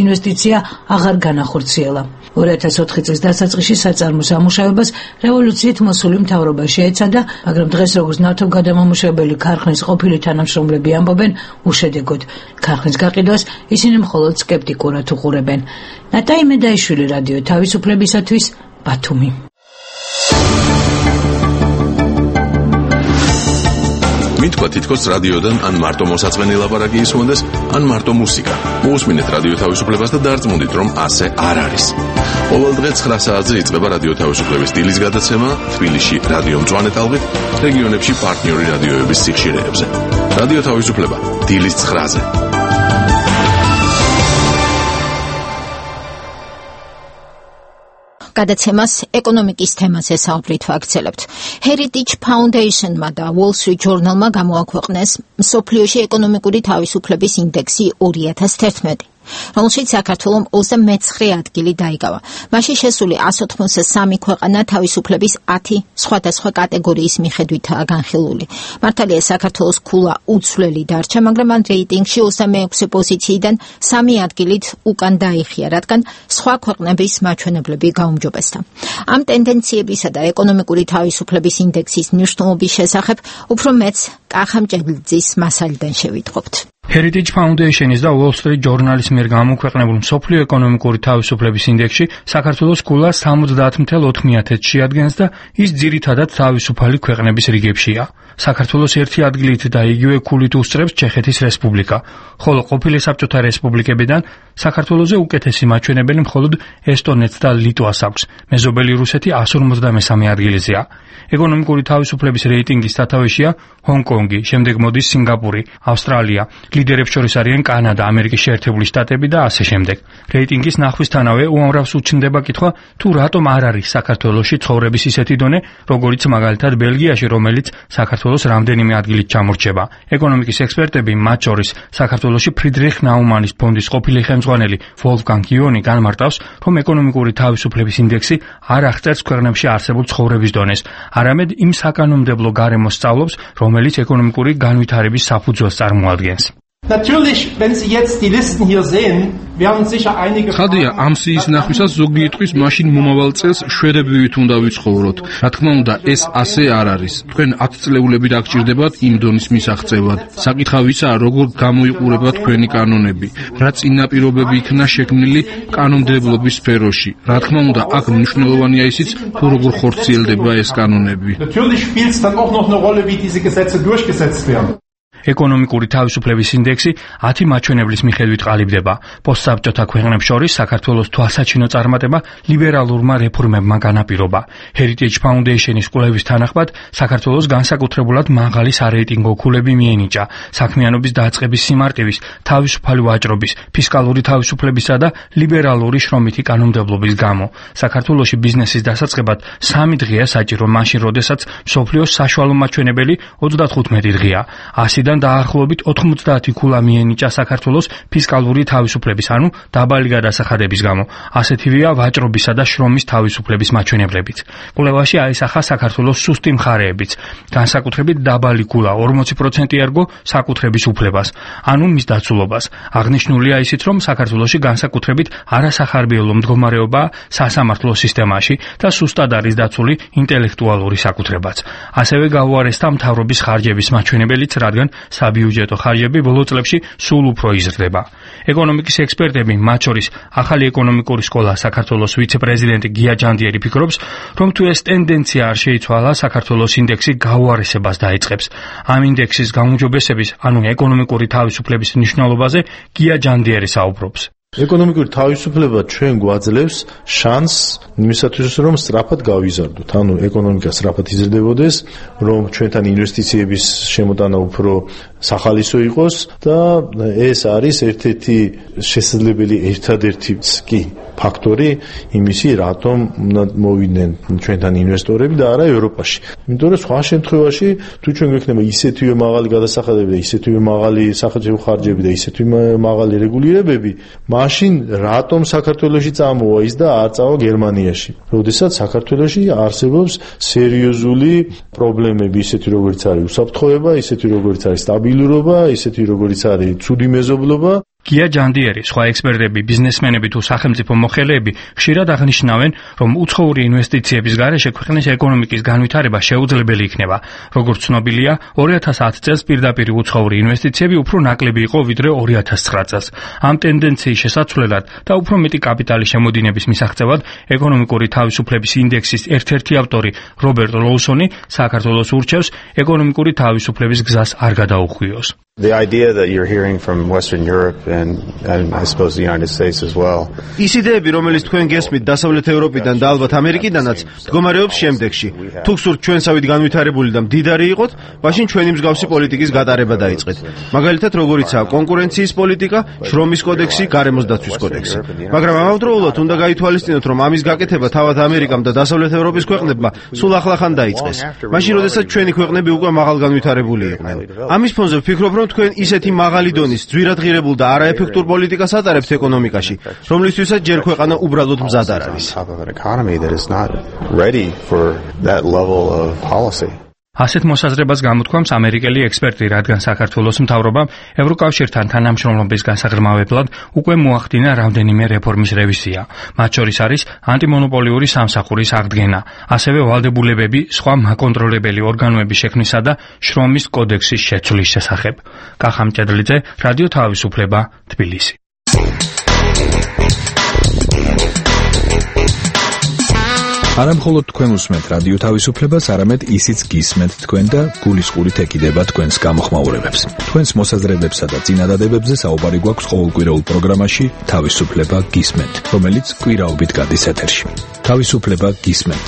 ინვესტიცია აღარ განახორციელა. 2004 წლის დასაწყისში საწარმო სამუშაოებას რევოლუციით მოსული მთავრობა შეეცადა, მაგრამ დღეს როგორც ნავთობგადამამუშავებელი ქარხნის ყოფილი თანამშრომლები ამბობენ, უშედეგოდ. ქარხნის გაყიდვას ისინი მხოლოდ სკეპტიკურად უყურებენ. ნატაი მედაიშვილი, რადიო თავისუფლებისათვის, ბათუმი.
მითქვა თითქოს რადიოდან ან მარტო მოსაწყენი ლაპარაკი ისმონდეს, ან მარტო მუსიკა. მოусმინეთ რადიო თავისუფლებას და დარწმუნდით, რომ ასე არ არის. ყოველ დღე 9 საათზე იწყება რადიო თავისუფლების დილის გადაცემა თბილისში რადიო მწვანე ტალღით, რეგიონებში პარტნიორი რადიოების სიხშირეებზე. რადიო თავისუფლება დილის 9-ზე.
გადაცემას ეკონომიკის თემაზე საუბრით ვაგრძელებთ. Heritage Foundation-მა და Wall Street Journal-მა გამოაქვეყნეს მსოფლიოში ეკონომიკური თავისუფლების ინდექსი 2011, რომელშიც საქართველომ 29 ადგილი დაიკავა. მასში შესული 183 ქვეყანა თავისუფლების 10 სხვადასხვა კატეგორიის მიხედვითაა განხილული. მართალია საქართველოს ქულა უცვლელი დარჩა, მაგრამ ამ რეიტინგში 26 პოზიციიდან 3 ადგილით უკან დაიხია, რადგან სხვა ქვეყნების მაჩვენებლები გაუმჯობესდა. ამ ტენდენციებისა და ეკონომიკური თავისუფლების ინდექსის მნიშვნელობის შესახებ უფრო მეც კახა მჭედლიძის მასალიდან შევიტყობთ.
Heritage Foundation-ის და Wall Street Journal-ის მიერ გამოქვეყნებულ მსოფლიო ეკონომიკური თავისუფლების ინდექსში საქართველოს ქულა 70.4-ში ადგენს და ის ძირითადად თავისუფალი ქვეყნების რიგებშია. საქართველოს 1 ადგილით და იგივე ქულით უსწრებს ჩეხეთის რესპუბლიკა, ხოლო ყოფილი საბჭოთა რესპუბლიკებიდან საქართველოზე უკეთესი მაჩვენებელი მხოლოდ ესტონეთს და ლიტვას აქვს. მეზობელი რუსეთი 153 ადგილზეა. ეკონომიკური თავისუფლების რეიტინგის სათავეშია ჰონკონგი, შემდეგ მოდის სინგაპური, ავსტრალია. ლიდერებს შორის არიან კანადა, ამერიკის შეერთებული შტატები და ასე შემდეგ. რეიტინგის ნახვისთანავე უამრავს უჩნდება კითხვა, თუ რატომ არ არის საქართველოში ცხოვრების ისეთი დონე, როგორიც მაგალითად ბელგიაში, რომელიც საქართველოს რამდენიმე ადგილით ჩამორჩება. ეკონომიკის ექსპერტები, მათ შორის საქართველოში ფრიდრიხ ნაუმანის ფონდის ყოფილი ხელმძღვანელი ვოლფგანგ იონი განმარტავს, რომ ეკონომიკური თავისუფლების ინდექსი არ აღწერს ქვეყნებში არსებულ ცხოვრების დონეს, არამედ იმ საკანონმდებლო გარემოს სწავლობს, რომელიც ეკონომიკური განვითარების საფუძველს წარმოადგენს.
Natürlich, wenn Sie jetzt die Listen hier sehen, werden sicher einige
ხადია ამ სიის ნახვისას ზოგი იტყვის მაშინ მომავალ წელს შვედებივით უნდა ვიცხოვროთ. რა თქმა უნდა, ეს ასე არ არის. თქვენ 10 წლეულები დაგჭირდებათ იმ დონის მისაღწევად. საკითხავისაა, როგორ გამოიყურება თქვენი კანონები, რა წინაპირობები იქნა შექმნილი კანონმდებლობის სფეროში. რა თქმა უნდა, აქ მნიშვნელოვანია ისიც, თუ როგორ ხორციელდება ეს კანონები.
Natürlich spielt es dann auch noch eine Rolle, wie diese Gesetze durchgesetzt werden.
ეკონომიკური თავისუფლების ინდექსი 10 მაჩვენებლის მიხედვით ყალიბდება. პოსტსაბჭოთა ქვეყნებს შორის საქართველოს თვალსაჩინო წარმატება ლიბერალურმა რეფორმებმა განაპირობა. Heritage Foundation-ის კვლევის თანახმად საქართველოს განსაკუთრებულად მაღალი სარეიტინგო ქულები მიენიჭა საქმიანობის დაწყების სიმარტივის, თავისუფალი ვაჭრობის, ფისკალური თავისუფლებისა და ლიბერალური შრომითი კანონმდებლობის გამო. საქართველოში ბიზნესის დასაწყებად 3 დღეა საჭირო, მაშინ როდესაც მსოფლიოს საშუალო მაჩვენებელი 35 დღეა. 100-დან დაახლოებით 90 ქულა მიენიჭა საქართველოს ფისკალური თავისუფლების, ანუ დაბალი გადასახადების გამო. ასეთივეა ვაჭრობისა და შრომის თავისუფლების მაჩვენებლებიც. კვლევაში აისახა საქართველოს სუსტი მხარეებიც. განსაკუთრებით დაბალი ქულა 40% ერგო საკუთრების უფლებას, ანუ მის დაცულობას. აღნიშნულია ისიც, რომ საქართველოში განსაკუთრებით არასახარბიელო მდგომარეობაა სასამართლო სისტემაში და სუსტად არის დაცული ინტელექტუალური საკუთრებაც. ასევე გაუარესდა მთავრობის ხარჯების მაჩვენებელიც, რადგან საბიუჯეტო ხარჯები ბოლო წლებში სულ უფრო იზრდება. ეკონომიკის ექსპერტები, მათ შორის ახალი ეკონომიკური სკოლა საქართველოს ვიცე-პრეზიდენტი გია ჯანდიერი ფიქრობს, რომ თუ ეს ტენდენცია არ შეიცვალა, საქართველოს ინდექსი გაუარესებას დაიწყებს. ამ ინდექსის გაუმჯობესების, ანუ ეკონომიკური თავისუფლების მნიშვნელობაზე გია ჯანდიერი საუბრობს.
ეკონომიკური თავისუფლება ჩვენ გვაძლევს შანსს იმისათვის, რომ სწრაფად გავიზარდოთ, ანუ ეკონომიკა სწრაფად იზრდებოდეს, რომ ჩვენთან ინვესტიციების შემოტანა უფრო სახალისო იყოს და ეს არის ერთ-ერთი შესაძლებელი ერთადერთიც კი ფაქტორი იმისი, რატომ მოვიდნენ ჩვენთან ინვესტორები და არა ევროპაში. იმიტომ რომ სხვა შემთხვევაში თუ ჩვენ გვექნება ისეთივე მაღალი გადასახადები და ისეთივე მაღალი სახელმწიფო ხარჯები და ისეთივე მაღალი რეგულირებები, მაშინ რატომ საქართველოში წამოვა ის და არ წავა გერმანიაში? როდესაც საქართველოში არსებობს სერიოზული პრობლემები, ისეთი როგორც არის უსაფრთხოება, ისეთი როგორც არის სტაბილურობა, ისეთი როგორც არის ცუდი მეზობლობა
გია ჯანდიერი, სხვა ექსპერტები, ბიზნესმენები თუ სახელმწიფო მოხელეები ხშირად აღნიშნავენ, რომ უცხოური ინვესტიციების გარეშე ქვეყნის ეკონომიკის განვითარება შეუძლებელი იქნება. როგორც ცნობილია, 2010 წელს პირდაპირ უცხოური ინვესტიციები უფრო ნაკლები იყო ვიდრე 2009 წელს. ამ ტენდენციის შესაცვლელად და უფრო მეტი კაპიტალის შემოდინების მისაღწევად ეკონომიკური თავისუფლების ინდექსის ერთ-ერთი ავტორი რობერტ ლოუსონი საქართველოს ურჩევს ეკონომიკური თავისუფლების გზას არ გადაუხვიოს.
The idea that you're hearing from Western Europe and I suppose the United States as well.
ის იდეები, რომელიც თქვენ გესმით დასავლეთ ევროპიდან და ალბათ ამერიკიდანაც, მდგომარეობს შემდეგში. თუ გსურთ ჩვენსავით განვითარებული და მდიდარი იყოთ, მაშინ ჩვენი მსგავსი პოლიტიკის გატარება დაიწყეთ. მაგალითად, როგორიცაა კონკურენციის პოლიტიკა, შრომის კოდექსი, გარემოს დაცვის კოდექსი. მაგრამ ამავდროულად უნდა გაითვალისწინოთ, რომ ამის გაკეთება თავად ამერიკამ და დასავლეთ ევროპის ქვეყნებმა სულ ახლახან დაიწყეს. მაშინ, როდესაც ჩვენი ქვეყნები უკვე მაღალ განვითარებული იყვნენ. ამის ფონზე ვფიქრობ, რომ თქვენ ისეთი მაღალი დონის ძვირადღირებულ და არაეფექტურ პოლიტიკას ატარებთ ეკონომიკაში, რომლისთვისაც ჯერ ქვეყანა უბრალოდ მზად არ არის.
ასეთ მოსაზრებას გამოთქვამს ამერიკელი ექსპერტი, რადგან საქართველოს მთავრობამ ევროკავშირთან თანამშრომლობის გასაღრმავებლად უკვე მოახდინა რამდენიმე რეფორმის რევიზია. მათ შორის არის ანტიმონოპოლიური სამსახურის აღდგენა, ასევე ვალდებულებები სხვა მაკონტროლებელი ორგანოების შექმნისა და შრომის კოდექსის შეცვლის შესახებ. კახა მჭედლიძე, რადიო თავისუფლება, თბილისი.
არა მხოლოდ თქვენ უსმენთ რადიო თავისუფლებას, არამედ ისიც გისმენთ თქვენ და გულისყურით ეკიდება თქვენს გამოხმაურებებს. თქვენს მოსაზრებებსა და წინადადებებზე საუბარი გვაქვს ყოველკვირეულ პროგრამაში თავისუფლება გისმენთ, რომელიც კვირაობით გადის ეთერში. თავისუფლება გისმენთ.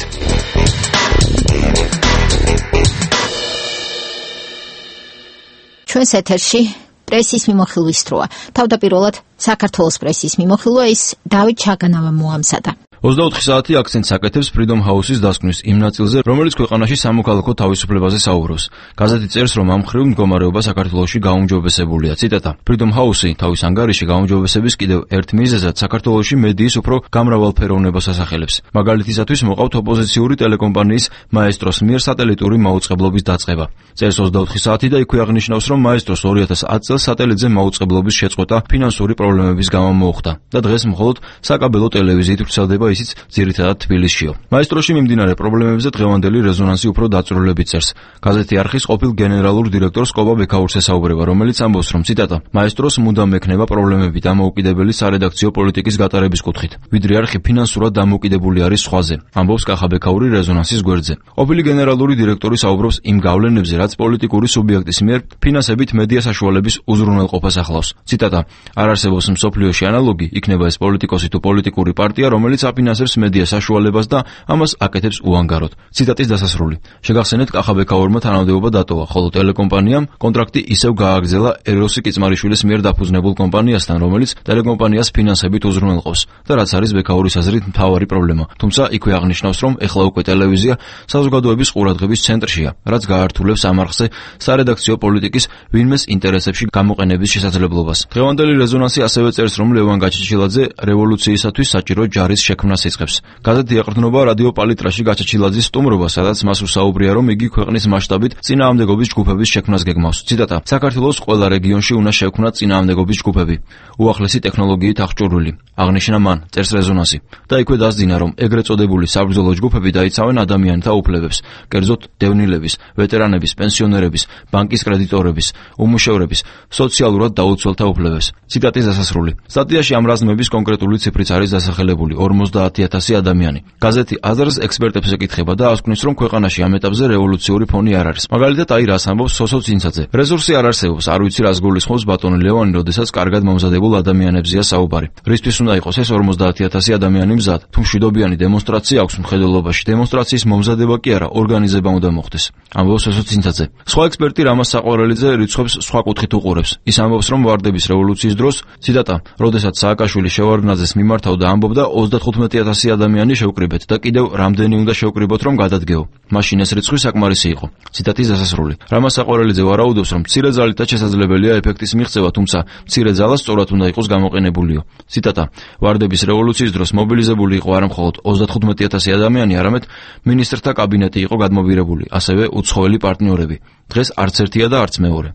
ჩვენს ეთერში პრესის მიმოხილვის დროა. თავდაპირველად საქართველოს პრესის მიმოხილვა ის დავით ჩაგანავამ მოამზადა.
24 საათი აქცენტს აკეთებს Freedom House-ის დასკვნის იმ ნაწილზე, რომელიც ქვეყანაში სამოქალაქო თავისუფლებაზე საუბრობს. გაზეთი წერს, რომ ამ მხრივ მდგომარეობა საქართველოში გაუმჯობესებულია. ციტატა: Freedom House-ი თავის ანგარიში გაუმჯობესების კიდევ ერთ მიზეზად საქართველოში მედიის უფრო გამრავალფეროვნებას ასახელებს. მაგალითისათვის მოყავთ ოპოზიციური ტელეკომპანიის მაესტროს მიერ სატელიტური მაუწყებლობის დაწყება. წერს 24 საათი და იქვე აღნიშნავს, რომ მაესტროს 2010 წელს სატელიტზე მაუწყებლობის შეწყვეტა ფინანსური პრობლემების გამო მოუხდა და დღეს მხოლოდ საკაბელო ტელევიზიით ვრცელდება ისიც ძირითადად თბილისშიო. მაესტროში მიმდინარე პრობლემებზე დღევანდელი რეზონანსი უფრო დაწვრილებით წერს. გაზეთი არხის ყოფილ გენერალურ დირექტორს კობა ბექაურს ესაუბრება, რომელიც ამბობს, რომ ციტატა: მაესტროს მუდამ ექნება პრობლემები დამოუკიდებელი სარედაქციო პოლიტიკის გატარების კუთხით, ვიდრე არხი ფინანსურად დამოუკიდებული არის სხვაზე. ამბობს კახა ბექაური რეზონანსის გვერდზე. ყოფილი გენერალური დირექტორი საუბრობს იმ გავლენებზე, რაც პოლიტიკური სუბიექტის მიერ ფინანსებით მედია საშუალების უზრუნველყოფას ახლავს. ციტატა: არ არსებობს მსოფლიოში ანალოგი, იქნება ეს პოლიტიკოსი თუ პოლიტიკური პარტია, რომელიც აფინანსებს მედია საშუალებას და ამას აკეთებს უანგაროდ. ციტატის დასასრული. შეგახსენეთ, კახა ბექაურმა თანამდებობა დატოვა, ხოლო ტელეკომპანიამ კონტრაქტი ისევ გააგრძელა ეროსი კიწმარიშვილის მიერ დაფუძნებულ კომპანიასთან, რომელიც ტელეკომპანიას ფინანსებით უზრუნველყოფს და რაც არის ბექაურის აზრით მთავარი პრობლემა. თუმცა იქვე აღნიშნავს, რომ ეხლა უკვე ტელევიზია საზოგადოების ყურადღების ცენტრშია, რაც გაართულებს ამ არხზე სარედაქციო პოლიტიკის ვინმეს ინტერესებში გამოყენების შესაძლებლობას. დღევანდელი რეზონანსი ასევე წერს, რომ ლევან გაჩეჩილაძე რევოლუციისათვის საჭირო ჯარის შექმნას იწყებს. გაზეთი ეყრდნობა რადიო პალიტრაში გაჩეჩილაძის სტუმრობას, სადაც მას უსაუბრია, რომ იგი ქვეყნის მასშტაბით წინააღმდეგობის ჯგუფების შექმნას გეგმავს. ციტატა: საქართველოს ყველა რეგიონში უნდა შექმნა წინააღმდეგობის ჯგუფები, უახლესი ტექნოლოგიით აღჭურვილი. აღნიშნა მან, წერს რეზონანსი. და იქვე დასძინა, რომ ეგრეთ წოდებული საბრძოლო ჯგუფები დაიცავენ ადამიანთა უფლებებს, კერძოდ დევნილების, ვეტერანების, პენსიონერების, ბანკის კრედიტორების, უმუშევრების, სოციალურად დაუცველთა უფლებებს. ციტატის დასასრული. სტატიაში ამ რაზმების კონკრეტული ციფრიც არის დასახელებული: 50,000 ადამიანი. გაზეთი აზრს ექსპერტებს ეკითხება და ასკვნის, რომ ქვეყანაში ამ ეტაპზე რევოლუციური ფონი არ არის. მაგალითად, აი რას ამბობს სოსო წინცაძე: რესურსი არ არსებობს, არ ვიცი რას გულისხმობს ბატონი ლევანი, როდესაც კარგად მომზადებულ ადამიანებზეა საუბარი. რისთვის უნდა იყოს ეს 50,000 ადამიანი მზად? თუ მშვიდობიანი დემონსტრაცია აქვს მხედველობაში, დემონსტრაციის მომზადება კი არა, ორგანიზება უნდა მოხდეს. ამბობს სოსო წინცაძე. სხვა ექსპერტი რამაზ საყვარელიძე რიცხვებს სხვა კუთხით უყურებს. ის ამბობს, რომ ვარდების რევოლუციის დროს, ციტატა: როდესაც სააკაშვილი შევარდნაძეს მიმართავდა, ამბობდა 35,000 ადამიანი შევკრიბეთ და კიდევ რამდენი უნდა შევკრიბოთ, რომ გადადგეო. მაშინ ეს რიცხვი საკმარისი იყო. ციტატის დასასრული. რამაზ საყვარელიძე ვარაუდობს, რომ მცირე ძალითაც შესაძლებელია ეფექტის მიღწევა, თუმცა მცირე ძალა სწორად უნდა იყოს გამოყენებულიო. ციტატა: ვარდების რევოლუციის დროს მობილიზებული იყო არა მხოლოდ 35,000 ადამიანი, არამედ მინისტრთა კაბინეტი იყო გადმობირებული, ასევე უცხოელი პარტნიორები. დღეს არც ერთია და არც მეორე.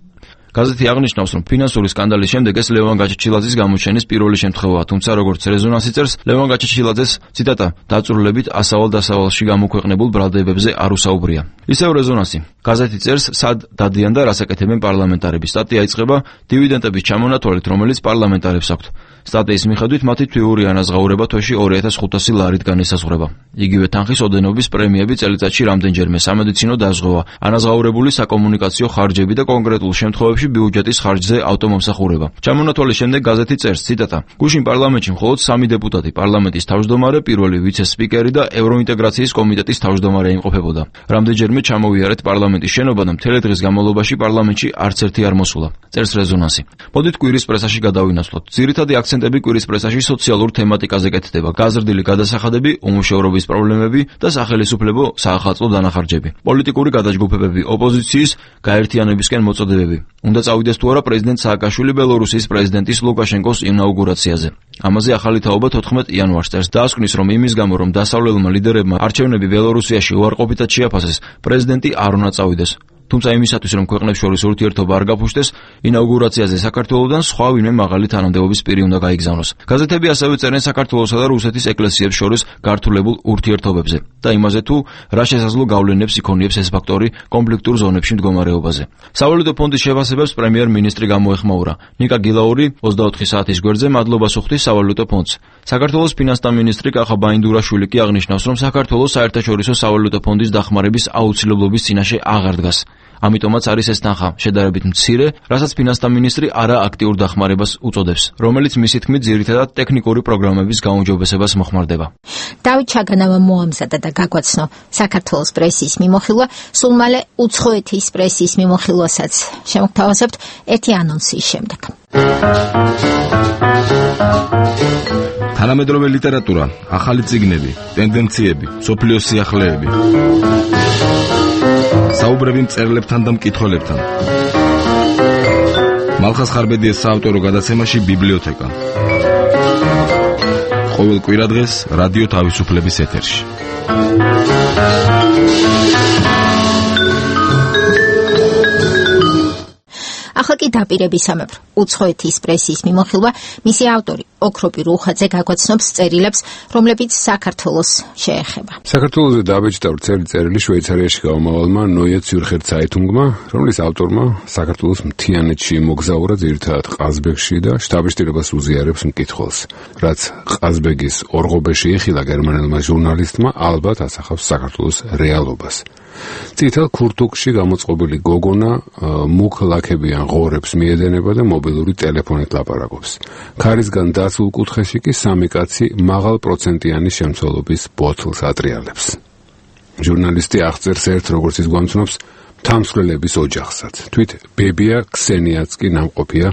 გაზეთი აღნიშნავს, რომ ფინანსური სკანდალის შემდეგ ეს ლევან გაჩეჩილაძის გამოჩენის პირველი შემთხვევაა, თუმცა როგორც რეზონანსი წერს, ლევან გაჩეჩილაძეს ციტატა დაწურლებით ასავალ-დასავალში გამოქვეყნებულ ბრალდებებზე არ უსაუბრია. ისევ რეზონანსი გაზეთი წერს, სად დადიან და რას აკეთებენ პარლამენტარები. სტატია იწყება დივიდენდების ჩამონათვალით, რომელიც პარლამენტარებს აქვთ. სტატიის მიხედვით მათი თვიური ანაზღაურება თვეში 2500 ლარიდან ესაზღვრება. იგივე თანხის ოდენობის პრემიები წელიწადში რამდენჯერმე, სამედიცინო დაზღვევა, ანაზღაურებული საკომუნიკაციო ხარჯები და კონკრეტულ შემთხვევებში ბიუჯეტის ხარჯზე ავტომომსახურება. ჩამონათვალის შემდეგ გაზეთი წერს, ციტატა: გუშინ პარლამენტში მხოლოდ 3 დეპუტატი, პარლამენტის თავმჯდომარე, პირველი ვიცე-სპიკერი და ევროინტეგრაციის კომიტეტის თავმჯდომარე იმყოფებოდა. რამდენჯერმე ჩამოვიარეთ პარლამენტის შენობა და მთელი დღის განმავლობაში პარლამენტში არც ერთი არ მოსულა. წერს რეზონანსი. მოდით კვირის პრესაში გადავინაცვლოთ. ძირითადი აქცენტები კვირის პრესაში სოციალურ თემატიკაზე კეთდება: გაზრდილი გადასახადები, უმუშევრობის პრობლემები და სახელისუფლებო საახალწლო დანახარჯები. პოლიტიკური გადაჯგუფებები, ოპოზიციის გაერთიანებისკენ მოწოდებები. უნდა წავიდეს თუ არა პრეზიდენტ სააკაშვილი ბელორუსიის პრეზიდენტის ლუკაშენკოს ინაუგურაციაზე. ამაზე ახალი თაობა 14 იანვარს წერს. დაასკვნის, რომ იმის გამო, რომ დასავლელმა ლიდერებმა არჩევნები ბელორუსიაში უარყოფითად შეაფასეს, პრეზიდენტი არ უნდა წავიდეს. თუმცა იმისათვის, რომ ქვეყნებს შორის ურთიერთობა არ გაფუშტეს, ინაუგურაციაზე საქართველოსთან სხვა ვინმე მაღალი თანამდებობის პირი უნდა გაიგზავნოს. გაზეთები ასევე წერენ საქართველოსა და რუსეთის ეკლესიებს შორის გართულებულ ურთიერთობებზე და იმაზე, თუ რა შესაძლო გავლენებს იქონიებს ეს ფაქტორი კონფლიქტურ ზონებში მდგომარეობაზე. სავალუტო ფონდის შეფასებებს პრემიერ-მინისტრი გამოეხმაურა. ნიკა გილაური 24 საათის გვერდზე მადლობას უხდის სავალუტო ფონდს. საქართველოს ფინანსთა მინისტრი კახა ბაინდურაშვილი კი აღნიშნავს, რომ საქართველოს საერთაშორისო სავალუტო ფონდის დახმარების აუცილებლობის წინაშე აღარ დგას. ამიტომაც არის ეს თანხა შედარებით მცირე, რასაც ფინანსთა მინისტრი არა აქტიურ დახმარებას უწოდებს, რომელიც მისი თქმით ძირითადად ტექნიკური პროგრამების გაუმჯობესებას მოხმარდება.
დავით ჩაგანავა მოამზადა და გაგვაცნო საქართველოს პრესის მიმოხილვა, სულ მალე უცხოეთის პრესის მიმოხილვასაც შემოგთავაზებთ ერთი ანონსის შემდეგ.
თანამედროვე ლიტერატურა, ახალი წიგნები, ტენდენციები, მსოფლიოს სიახლეები. საუბრები მწერლებთან და მკითხველებთან. მალხაზ ხარბედიეს საავტორო გადაცემაში ბიბლიოთეკა. ყოველ კვირადღეს რადიო თავისუფლების ეთერში.
ახლა კი დაპირების სამეფრო უცხოეთის პრესის მიმოხილვა, მისი ავტორი ოქროპი რუხაძე გაგვაცნობს წერილებს, რომლებიც საქართველოს შეეხება.
საქართველოზე დაბეჭდა წერილი შვეიცარიაში გამომავალმა ნოიე ციურხერ ცაიტუნგმა, რომლის ავტორმა საქართველოს მთიანეთში მოგზაურა ძირითადად ყაზბეგში და შტაბ-შტირებას უზიარებს მკითხველს. რაც ყაზბეგის ორღობეში იხილა გერმანელმა ჟურნალისტმა, ალბათ ასახავს საქართველოს რეალობას. წითელ ქურთუკში გამოწყობილი გოგონა მუქ ლაქებიან ღორებს მიედენება და მობილური ტელეფონით ლაპარაკობს. ქარისგან დაცულ კუთხეში კი სამი კაცი მაღალ პროცენტიანი შემცველობის ბოთლს ატრიალებს. ჟურნალისტი აღწერს ერთ, როგორც ის გვამცნობს, თამსვლელების ოჯახსაც. თვით ბებია ქსენიაც კი ნამყოფია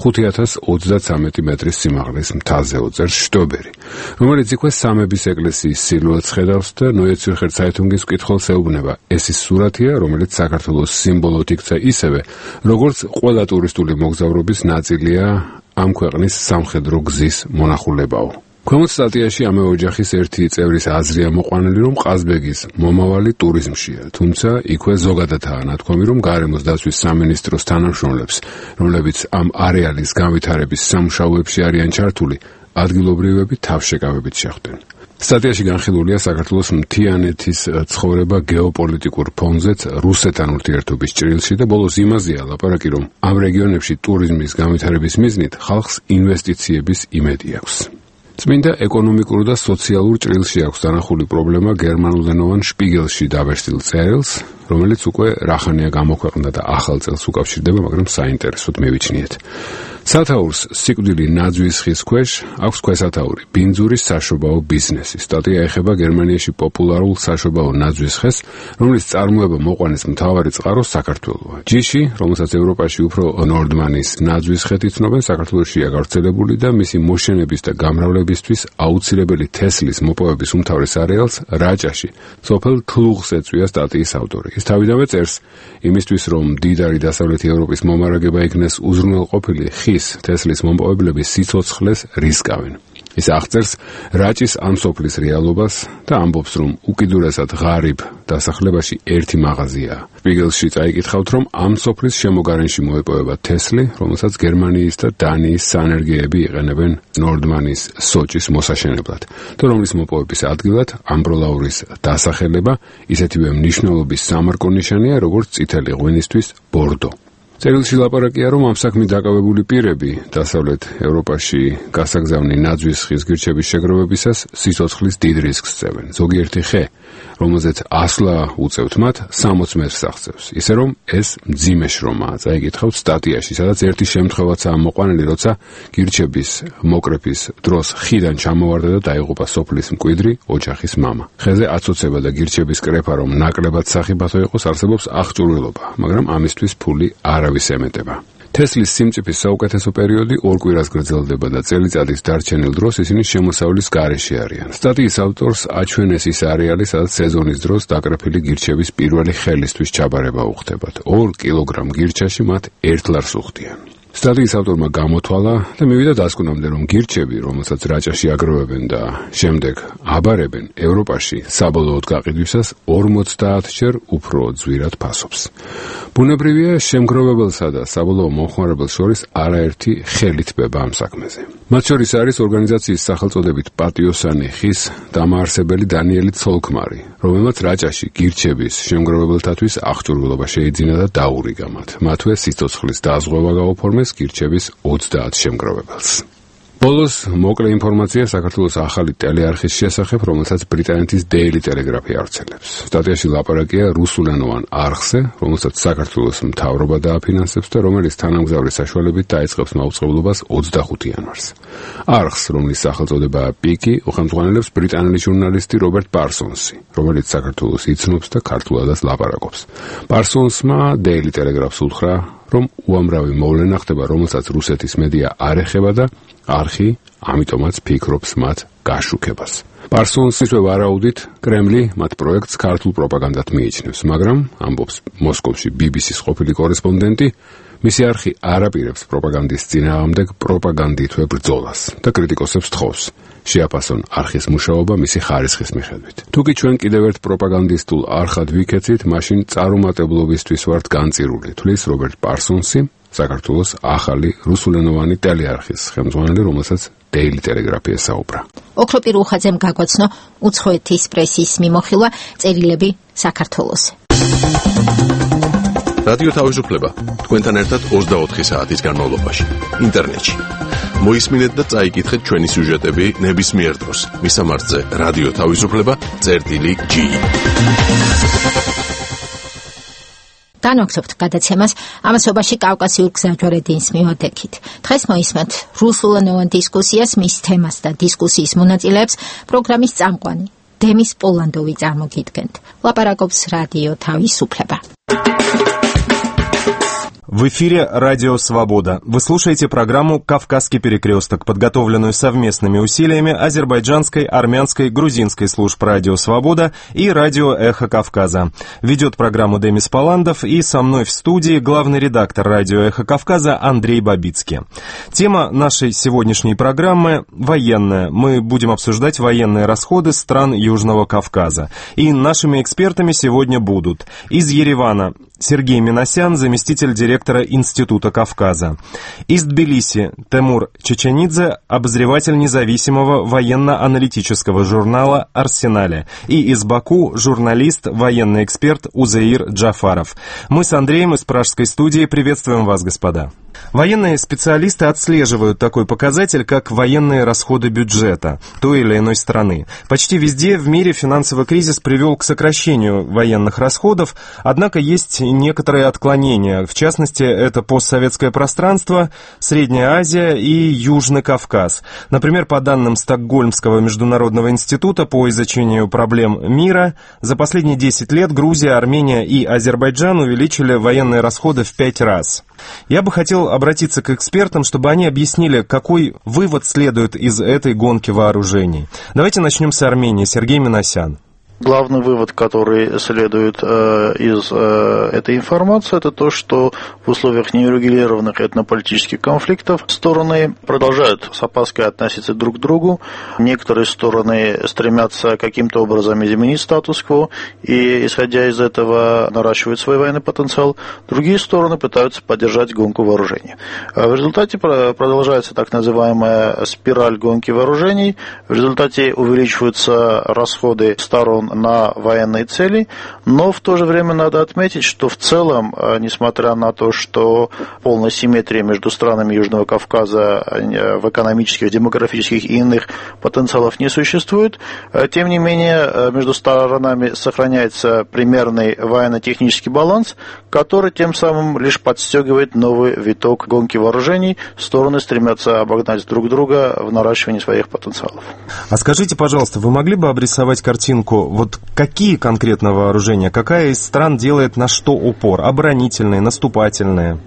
5033 მეტრის სიმაღლის მთაზე, უწერს შტობერი, რომელიც იქვე სამების ეკლესიის სილუეტს ხედავს და ნოიე ციურხერ ცაიტუნგის მკითხველს ეუბნება, ეს ის სურათია, რომელიც საქართველოს სიმბოლოდ იქცა ისევე, როგორც ყველა ტურისტული მოგზაურობის ნაწილია ამ ქვეყნის სამხედრო გზის მონახულებაო. ქვემოთ სტატიაში ამავე ოჯახის ერთი წევრის აზრია მოყვანილი, რომ ყაზბეგის მომავალი ტურიზმშია, თუმცა იქვე ზოგადადაა ნათქვამი, რომ გარემოს დაცვის სამინისტროს თანამშრომლებს, რომლებიც ამ არეალის განვითარების სამუშაოებში არიან ჩართული, ადგილობრივები თავშეკავებით შეხვდნენ. სტატიაში განხილულია საქართველოს მთიანეთის ცხოვრება გეოპოლიტიკურ ფონზეც რუსეთთან ურთიერთობის ჭრილში და ბოლოს იმაზეა ლაპარაკი, რომ ამ რეგიონებში ტურიზმის განვითარების მიზნით ხალხს ინვესტიციების იმედი აქვს. წმინდა ეკონომიკურ და სოციალურ ჭრილში აქვს დანახული პრობლემა გერმანულენოვან შპიგელში დაბეჭდილ წერილს, რომელიც უკვე რახანია გამოქვეყნდა და ახალ წელს უკავშირდება, მაგრამ საინტერესოდ მივიჩნიეთ. სათაურს სიკვდილი ნაძვის ხის ქვეშ აქვს ქვესათაური ბინძურის საშობაო ბიზნესი. სტატია ეხება გერმანიაში პოპულარულ საშობაო ნაძვის ხეს, რომლის წარმოება მოყვანის მთავარი წყარო საქართველოა. ჯიში, რომელსაც ევროპაში უფრო ნორდმანის ნაძვის ხეთი ცნობენ, საქართველოშია გავრცელებული და მისი მოშენების და გამრავლებისთვის აუცილებელი თესლის მოპოვების უმთავრეს არეალს რაჭაში, სოფელ თლუღს ეწვია სტატიის ავტორი. ის თავიდანვე წერს, იმისთვის რომ მდიდარი დასავლეთი ევროპის მომარაგება იქნეს უზრუნველყოფილი, ხის თესლის მომპოვებლები სიცოცხლეს რისკავენ. ის აღწერს რაჭის ამ სოფლის რეალობას და ამბობს, რომ უკიდურესად ღარიბ დასახლებაში ერთი მაღაზიაა. Spiegel-ში წაიკითხავთ, რომ ამ სოფლის შემოგარენში მოეპოვება თესლი, რომელსაც გერმანიის და დანიის სანერგეები იყენებენ ნორდმანის სოჭის მოსაშენებლად, და რომლის მოპოვების ადგილად ამბროლაურის დასახელება ისეთივე მნიშვნელობის სამარკო ნიშანია, როგორც წითელი ღვინისთვის ბორდო. წერილში ლაპარაკია, რომ ამ საქმით დაკავებული პირები დასავლეთ ევროპაში გასაგზავნი ნაძვის ხის გირჩების შეგროვებისას სიცოცხლის დიდ რისკს წევენ. ზოგიერთი ხე, რომელზეც ასვლა უწევთ მათ, 60 მეტრს აღწევს. ისე რომ ეს მძიმე შრომაა. წაიკითხავთ სტატიაში, სადაც ერთი შემთხვევაცაა მოყვანილი, როცა გირჩების მოკრეფის დროს ხიდან ჩამოვარდა და დაიღუპა სოფლის მკვიდრი ოჯახის მამა. ხეზე აცოცება და გირჩების კრეფა, რომ ნაკლებად სახიფათო იყოს, არსებობს აღჭურვილობა, მაგრამ ამისთვის ფული არავის ემეტება. თესლის სიმწიფის საუკეთესო პერიოდი 2 კვირას გრძელდება და წელიწადის დარჩენილ დროს ისინი შემოსავლის გარეშე არიან. სტატიის ავტორს აჩვენეს ის არეალი, სადაც სეზონის დროს დაკრეფილი გირჩების პირველი ხელისთვის ჩაბარება უხდებათ. 2 კილოგრამ გირჩაში მათ 1 ლარს უხდიან. სტატიის ავტორმა გამოთვალა და მივიდა დასკვნამდე, რომ გირჩები, რომელსაც რაჭაში აგროვებენ და შემდეგ აბარებენ, ევროპაში საბოლოოდ გაყიდვისას 50-ჯერ უფრო ძვირად ფასობს. ბუნებრივია, შემგროვებელსა და საბოლოო მომხმარებელს შორის არაერთი ხელი თბება ამ საქმეზე. მათ შორის არის ორგანიზაციის სახელწოდებით პატიოსანი ხის დამაარსებელი დანიელი ცოლქმარი, რომელმაც რაჭაში გირჩების შემგროვებელთათვის აღჭურვილობა შეიძინა და დაურიგა მათ. მათვე სიცოცხლის დაზღვევა გაუფორმეს გირჩების 30 შემგროვებელს. ბოლოს მოკლე ინფორმაცია საქართველოს ახალი ტელეარხის შესახებ, რომელსაც ბრიტანეთის Daily Telegraph-ი ავრცელებს. სტატიაში ლაპარაკია რუსულენოვან არხზე, რომელსაც საქართველოს მთავრობა დააფინანსებს და რომელიც თანამგზავრის საშუალებით დაიწყებს მაუწყებლობას 25 იანვარს. არხს, რომლის სახელწოდებაა პიკი, უხელმძღვანელებს ბრიტანელი ჟურნალისტი რობერტ პარსონსი, რომელიც საქართველოს იცნობს და ქართულადაც ლაპარაკობს. პარსონსმა Daily Telegraph-ს უთხრა, რომ უამრავი მოვლენა ხდება, რომელსაც რუსეთის მედია არ ეხება და არხი ამიტომაც ფიქრობს მათ გაშუქებას. პარსონსის ვარაუდით, კრემლი მათ პროექტს ქართულ პროპაგანდად მიიჩნევს, მაგრამ ამბობს მოსკოვში BBC-ს ყოფილი კორესპონდენტი, მისი არხი არ აპირებს პროპაგანდის წინააღმდეგ პროპაგანდითვე ბრძოლას და კრიტიკოსებს თხოვს შეაფასონ არხის მუშაობა მისი ხარისხის მიხედვით. თუკი ჩვენ კიდევ ერთ პროპაგანდისტულ არხად ვიქეცით, მაშინ წარუმატებლობისთვის ვართ განწირული, თვლის რობერტ პარსონსი, საქართველოს ახალი რუსულენოვანი ტელეარხის ხელმძღვანელი, რომელსაც Daily Telegraph-ი ესაუბრა.
ოქროპირ უხაძემ გაგვაცნო უცხოეთის პრესის მიმოხილვა წერილები საქართველოს.
რადიო თავისუფლება თქვენთან ერთად 24 საათის განმავლობაში ინტერნეტში. მოისმინეთ და წაიკითხეთ ჩვენი სიუჟეტები ნებისმიერ დროს. მისამართზე რადიო თავისუფლება.gi.
განვაგრძობთ გადაცემას ამასობაში კავკასიურ გზაჯვარედინს მივადექით. დღეს მოისმენთ რუსულენოვან დისკუსიას, მის თემას და დისკუსიის მონაწილეებს პროგრამის წამყვანი დემის პოლანდოვი წარმოგიდგენთ. ლაპარაკობს რადიო თავისუფლება.
В эфире «Радио Свобода». Вы слушаете программу «Кавказский перекресток», подготовленную совместными усилиями азербайджанской, армянской, грузинской служб «Радио Свобода» и «Радио Эхо Кавказа». Ведет программу Демис Поландов, и со мной в студии главный редактор «Радио Эхо Кавказа» Андрей Бабицкий. Тема нашей сегодняшней программы – военная. Мы будем обсуждать военные расходы стран Южного Кавказа. И нашими экспертами сегодня будут из Еревана Сергей Минасян, заместитель директора Института Кавказа. Из Тбилиси Темур Чеченидзе, обозреватель независимого военно-аналитического журнала «Арсенале». И из Баку журналист, военный эксперт Узеир Джафаров. Мы с Андреем из пражской студии приветствуем вас, господа. Военные специалисты отслеживают такой показатель, как военные расходы бюджета той или иной страны. Почти везде в мире финансовый кризис привел к сокращению военных расходов, однако есть некоторые отклонения. В частности, это постсоветское пространство, Средняя Азия и Южный Кавказ. Например, по данным Стокгольмского международного института по изучению проблем мира, за последние 10 лет Грузия, Армения и Азербайджан увеличили военные расходы в 5 раз. Я бы хотел обратиться к экспертам, чтобы они объяснили, какой вывод следует из этой гонки вооружений. Давайте начнем с Армении. Сергей Минасян.
Главный вывод, который следует из этой информации, это то, что в условиях неурегулированных этнополитических конфликтов стороны продолжают с опаской относиться друг к другу. Некоторые стороны стремятся каким-то образом изменить статус-кво и, исходя из этого, наращивают свой военный потенциал. Другие стороны пытаются поддержать гонку вооружений. В результате продолжается так называемая спираль гонки вооружений. В результате увеличиваются расходы сторон на военные цели, но в то же время надо отметить, что в целом, несмотря на то, что полной симметрии между странами Южного Кавказа в экономических, демографических и иных потенциалов не существует, тем не менее между сторонами сохраняется примерный военно-технический баланс, который тем самым лишь подстегивает новый виток гонки вооружений. Стороны стремятся обогнать друг друга в наращивании своих потенциалов.
А скажите, пожалуйста, вы могли бы обрисовать картинку, вот какие конкретно вооружения, какая из стран делает на что упор? Оборонительные, наступательные?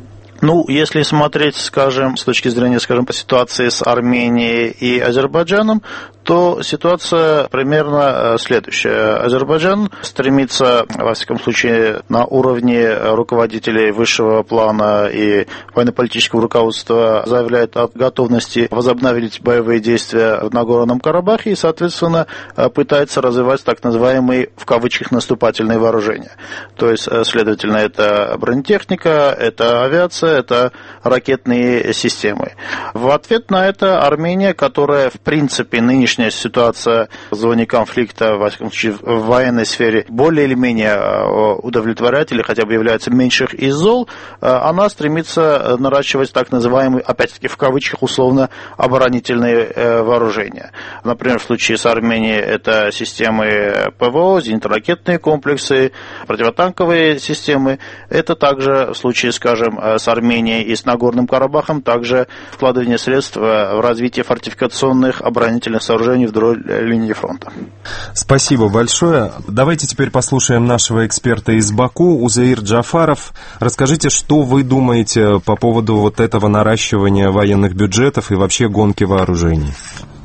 Ну, если смотреть, скажем, с точки зрения, скажем, по ситуации с Арменией и Азербайджаном, то ситуация примерно следующая. Азербайджан стремится, во всяком случае, на уровне руководителей высшего плана и военно-политического руководства заявляет о готовности возобновить боевые действия в Нагорном Карабахе и, соответственно, пытается развивать так называемые, в кавычках, наступательные вооружения. То есть, следовательно, это бронетехника, это авиация, это ракетные системы. В ответ на это Армения, которая, в принципе, нынешняя ситуация в зоне конфликта, во всяком случае, в военной сфере, более или менее удовлетворяет или хотя бы является меньших из зол, она стремится наращивать так называемые, опять-таки, в кавычках, условно, оборонительные вооружения. Например, в случае с Арменией это системы ПВО, зенитно-ракетные комплексы, противотанковые системы. Это также в случае, скажем, с Арменией и с Нагорным Карабахом, также вкладывание средств в развитие фортификационных оборонительных сооружений вдоль линии фронта.
Спасибо большое. Давайте теперь послушаем нашего эксперта из Баку, Узеир Джафаров. Расскажите, что вы думаете по поводу вот этого наращивания военных бюджетов и вообще гонки вооружений?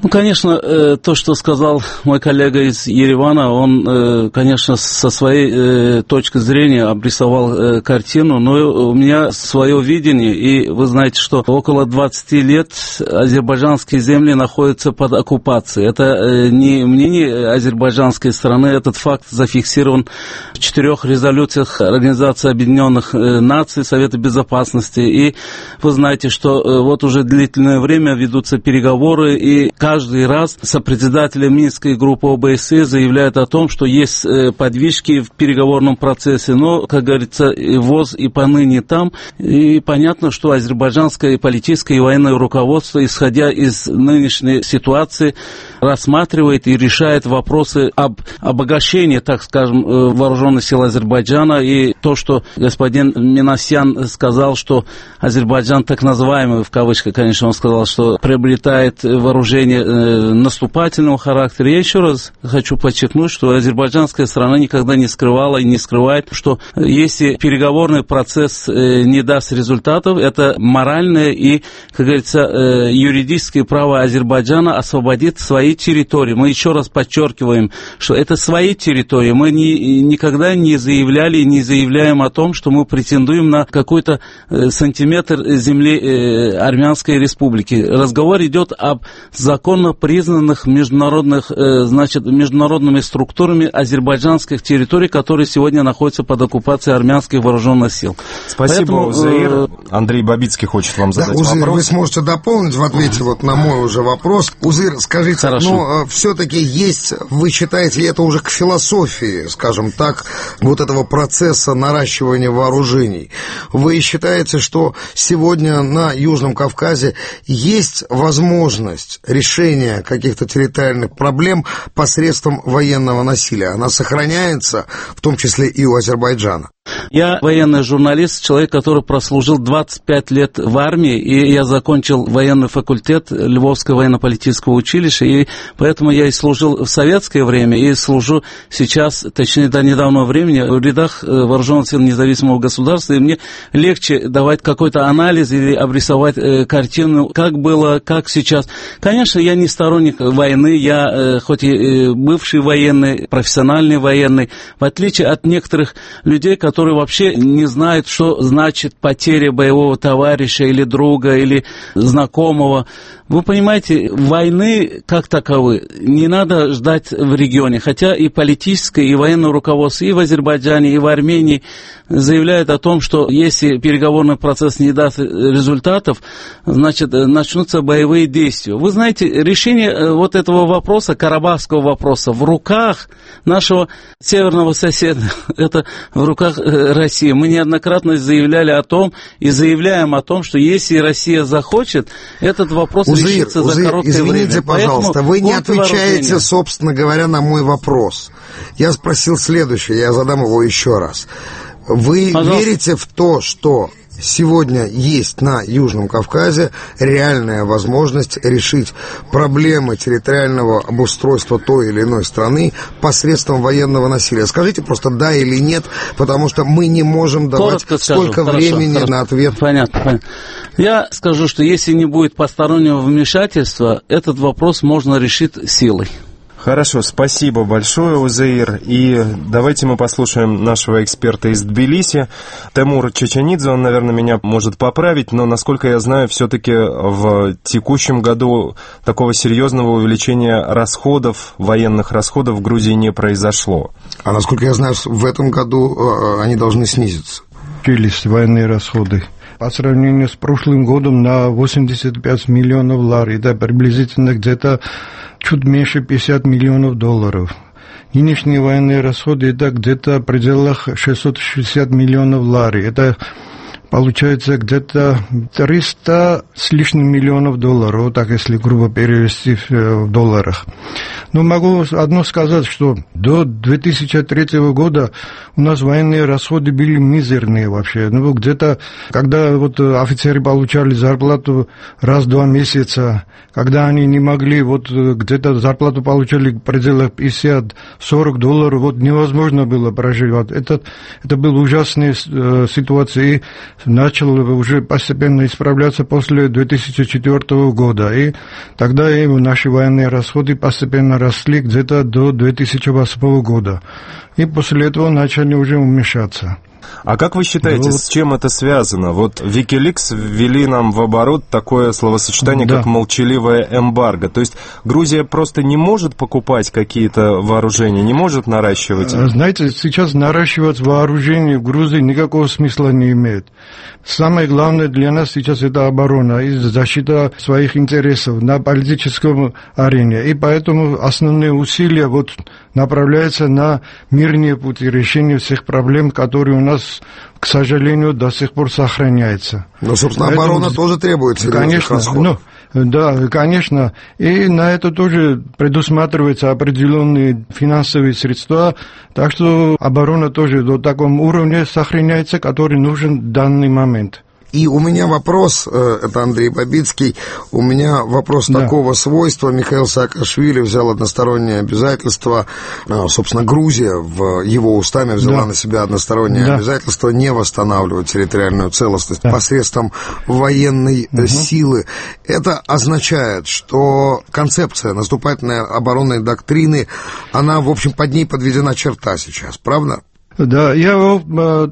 Ну, конечно, то, что сказал мой коллега из Еревана, он, конечно, со своей точки зрения обрисовал картину, но у меня свое видение, и вы знаете, что около 20 лет азербайджанские земли находятся под оккупацией. Это не мнение азербайджанской страны, этот факт зафиксирован в 4 резолюциях Организации Объединенных Наций, Совета Безопасности, и вы знаете, что вот уже длительное время ведутся переговоры, и каждый раз сопредседатели Минской группы ОБСЕ заявляют о том, что есть подвижки в переговорном процессе, но, как говорится, ВОЗ и поныне там. И понятно, что азербайджанское политическое и военное руководство, исходя из нынешней ситуации, рассматривает и решает вопросы об обогащении, так скажем, вооруженных сил Азербайджана. И то, что господин Минасян сказал, что Азербайджан, так называемый, в кавычках, конечно, он сказал, что приобретает вооружение наступательного характера. Я еще раз хочу подчеркнуть, что азербайджанская страна никогда не скрывала и не скрывает, что если переговорный процесс не даст результатов, это моральное и, как говорится, юридическое право Азербайджана освободить свои территории. Мы еще раз подчеркиваем, что это свои территории. Мы никогда не заявляли и не заявляем о том, что мы претендуем на какой-то сантиметр земли Армянской республики. Разговор идет об законно признанных международными структурами азербайджанских территорий, которые сегодня находятся под оккупацией армянских вооруженных сил.
Спасибо, Узеир. Андрей Бабицкий хочет вам задать
Узеир,
вопрос.
Вы сможете дополнить в ответе вот на мой уже вопрос. Узеир, скажите, все-таки есть, вы считаете, это уже к философии, скажем так, вот этого процесса наращивания вооружений. Вы считаете, что сегодня на Южном Кавказе есть возможность решения каких-то территориальных проблем посредством военного насилия? Она сохраняется, в том числе и у Азербайджана?
Я военный журналист, человек, который прослужил 25 лет в армии, и я закончил военный факультет Львовского военно-политического училища, и поэтому я и служил в советское время, и служу сейчас, точнее, до недавнего времени, в рядах вооруженных сил независимого государства, и мне легче давать какой-то анализ или обрисовать картину, как было, как сейчас. Конечно, я не сторонник войны, я хоть и бывший военный, профессиональный военный, в отличие от некоторых людей, которые вообще не знают, что значит потеря боевого товарища или друга, или знакомого. Вы понимаете, войны как таковой не надо ждать в регионе, хотя и политическое, и военное руководство и в Азербайджане, и в Армении заявляют о том, что если переговорный процесс не даст результатов, значит, начнутся боевые действия. Вы знаете, решение вот этого вопроса, карабахского вопроса, в руках нашего северного соседа, это в руках России. Мы неоднократно заявляли о том и заявляем о том, что если Россия захочет, этот вопрос решится за короткое время.
Извините, пожалуйста, вы не отвечаете, собственно говоря, на мой вопрос. Я спросил следующее, я задам его еще раз. Вы верите в то, что сегодня есть на Южном Кавказе реальная возможность решить проблемы территориального обустройства той или иной страны посредством военного насилия? Скажите просто да или нет, потому что мы не можем давать столько времени на ответ.
Понятно. Я скажу, что если не будет постороннего вмешательства, этот вопрос можно решить силой.
Хорошо, спасибо большое, Узеир. И давайте мы послушаем нашего эксперта из Тбилиси, Темур Чеченидзе. Он, наверное, меня может поправить, но, насколько я знаю, все-таки в текущем году такого серьезного увеличения расходов, военных расходов в Грузии не произошло.
А насколько я знаю, в этом году они должны снизиться.
Увеличились военные расходы. По сравнению с прошлым годом на 85 миллионов лар, это приблизительно где-то чуть меньше 50 миллионов долларов. Нынешние военные расходы это где-то в пределах 660 миллионов лар. Это получается где-то 300 с лишним миллионов долларов, вот так если грубо перевести в долларах. Но могу одно сказать, что до 2003 года у нас военные расходы были мизерные вообще. Ну, где-то, когда вот офицеры получали зарплату раз в 2 месяца, когда они не могли, вот где-то зарплату получали в пределах 50-40 долларов, вот невозможно было проживать. Это была ужасная ситуация. И начал уже постепенно исправляться после 2004 года. И тогда и наши военные расходы постепенно росли где-то до 2008 года. И после этого начали уже уменьшаться.
А как вы считаете, с чем это связано? Вот Wikileaks ввели нам в оборот такое словосочетание, как молчаливое эмбарго. То есть Грузия просто не может покупать какие-то вооружения, не может наращивать?
Знаете, сейчас наращивать вооружение в Грузии никакого смысла не имеет. Самое главное для нас сейчас это оборона и защита своих интересов на политическом арене. И поэтому основные усилия вот направляются на мирные пути решения всех проблем, которые у нас, к сожалению, до сих пор сохраняются.
Но, собственно, оборона тоже требует серьезных расходов.
Да, конечно. И на это тоже предусматриваются определенные финансовые средства. Так что оборона тоже до такого уровня сохраняется, который нужен в данный момент.
И у меня вопрос, это Андрей Бабицкий, у меня вопрос такого свойства. Михаил Саакашвили взял одностороннее обязательство, собственно, Грузия в его устами взяла на себя одностороннее обязательство не восстанавливать территориальную целостность посредством военной силы. Это означает, что концепция наступательной оборонной доктрины, она, в общем, под ней подведена черта сейчас, правда?
Да, я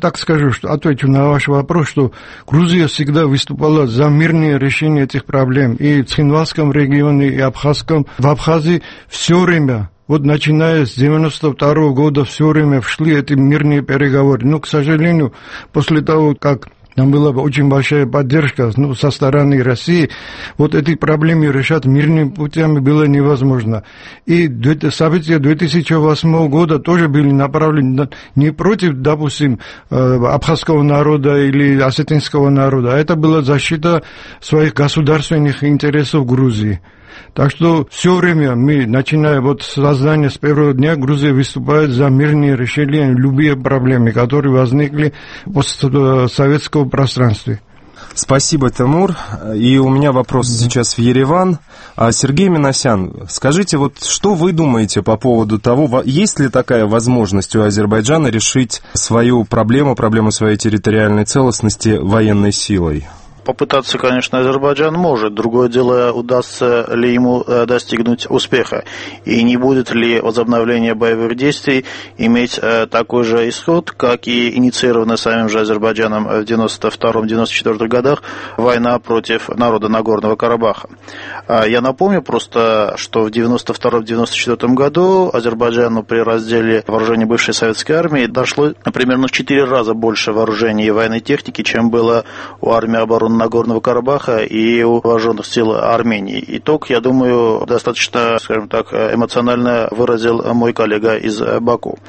так скажу, что отвечу на ваш вопрос, что Грузия всегда выступала за мирное решение этих проблем. И в Цхинвальском регионе, и в Абхазии все время, вот начиная с 92 года, все время шли эти мирные переговоры. Но, к сожалению, после того, как там была очень большая поддержка со стороны России. Вот эти проблемы решать мирными путями было невозможно. И события 2008 года тоже были направлены не против, допустим, абхазского народа или осетинского народа, а это была защита своих государственных интересов Грузии. Так что все время мы, начиная вот с создания с первого дня, Грузия выступает за мирные решения любых проблем, которые возникли в постсоветском пространстве.
Спасибо, Тимур. И у меня вопрос сейчас в Ереван. Сергей Минасян, скажите, вот что вы думаете по поводу того, есть ли такая возможность у Азербайджана решить свою проблему своей территориальной целостности военной силой?
Попытаться, конечно, Азербайджан может. Другое дело, удастся ли ему достигнуть успеха. И не будет ли возобновление боевых действий иметь такой же исход, как и инициированная самим же Азербайджаном в 1992-1994 годах война против народа Нагорного Карабаха. Я напомню просто, что в 1992-1994 году Азербайджану при разделе вооружений бывшей советской армии дошло примерно в 4 раза больше вооружений и военной техники, чем было у армии обороны Нагорного Карабаха и у вооруженных сил Армении. Итог, я думаю, достаточно, скажем так, эмоционально выразил мой коллега из Баку.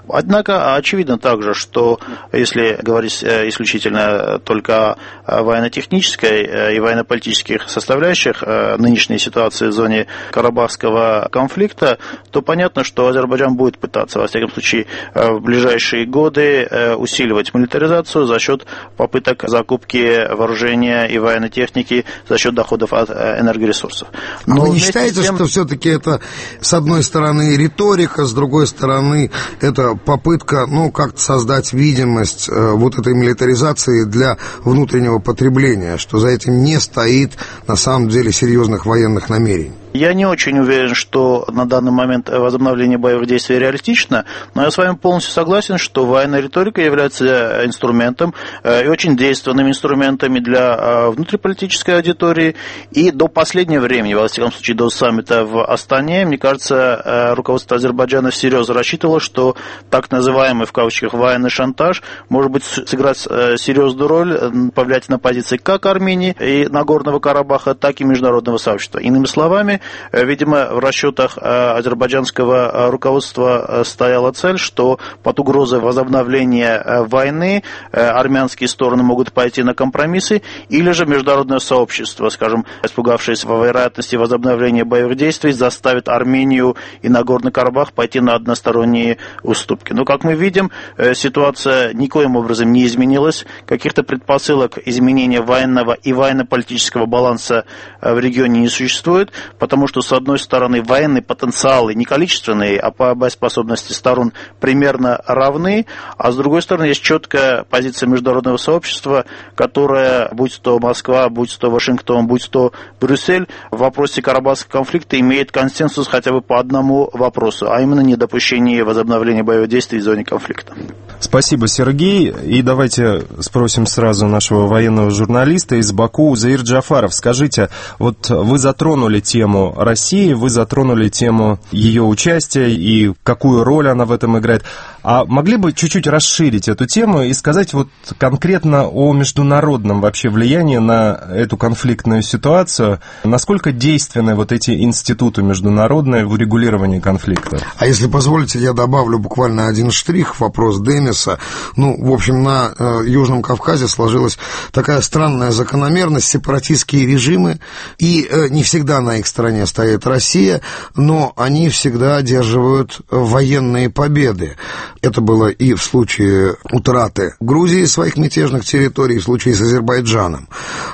Однако, очевидно также, что если говорить исключительно только о военно-технической и военно-политических составляющих нынешней ситуации в зоне Карабахского конфликта, то понятно, что Азербайджан будет пытаться, во всяком случае, в ближайшие годы усиливать милитаризацию за счет попыток закупки вооружения и военной техники за счет доходов от энергоресурсов.
Но вы не считаете, что все-таки это, с одной стороны, риторика, с другой стороны, это попытка, как-то создать видимость вот этой милитаризации для внутреннего потребления, что за этим не стоит, на самом деле, серьезных военных намерений?
Я не очень уверен, что на данный момент возобновление боевых действий реалистично, но я с вами полностью согласен, что военная риторика является инструментом и очень действенным инструментом для внутриполитической аудитории. И до последнего времени, во всяком случае до саммита в Астане, мне кажется, руководство Азербайджана всерьез рассчитывало, что так называемый в кавычках военный шантаж может быть сыграть серьезную роль, повлиять на позиции как Армении и Нагорного Карабаха, так и международного сообщества. Иными словами, видимо, в расчетах азербайджанского руководства стояла цель, что под угрозой возобновления войны армянские стороны могут пойти на компромиссы, или же международное сообщество, скажем, испугавшись во вероятности возобновления боевых действий, заставит Армению и Нагорный Карабах пойти на односторонние уступки. Но, как мы видим, ситуация никоим образом не изменилась. Каких-то предпосылок изменения военного и военно-политического баланса в регионе не существует, потому что, с одной стороны, военные потенциалы не количественные, а по боеспособности сторон примерно равны, а с другой стороны, есть четкая позиция международного сообщества, которая, будь то Москва, будь то Вашингтон, будь то Брюссель, в вопросе Карабахского конфликта имеет консенсус хотя бы по одному вопросу, а именно недопущение возобновления боевых действий в зоне конфликта.
Спасибо, Сергей. И давайте спросим сразу нашего военного журналиста из Баку, Заир Джафаров. Скажите, вот вы затронули тему России, вы затронули тему ее участия и какую роль она в этом играет. А могли бы чуть-чуть расширить эту тему и сказать вот конкретно о международном вообще влиянии на эту конфликтную ситуацию? Насколько действенны вот эти институты международные в урегулировании конфликта?
А если позволите, я добавлю буквально один штрих в вопрос Демиса. В общем, на Южном Кавказе сложилась такая странная закономерность: сепаратистские режимы, и не всегда на их стороне стоит Россия, но они всегда одерживают военные победы. Это было и в случае утраты Грузии своих мятежных территорий, и в случае с Азербайджаном.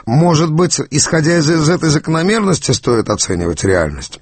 Может быть, исходя из этой закономерности, стоит оценивать реальность?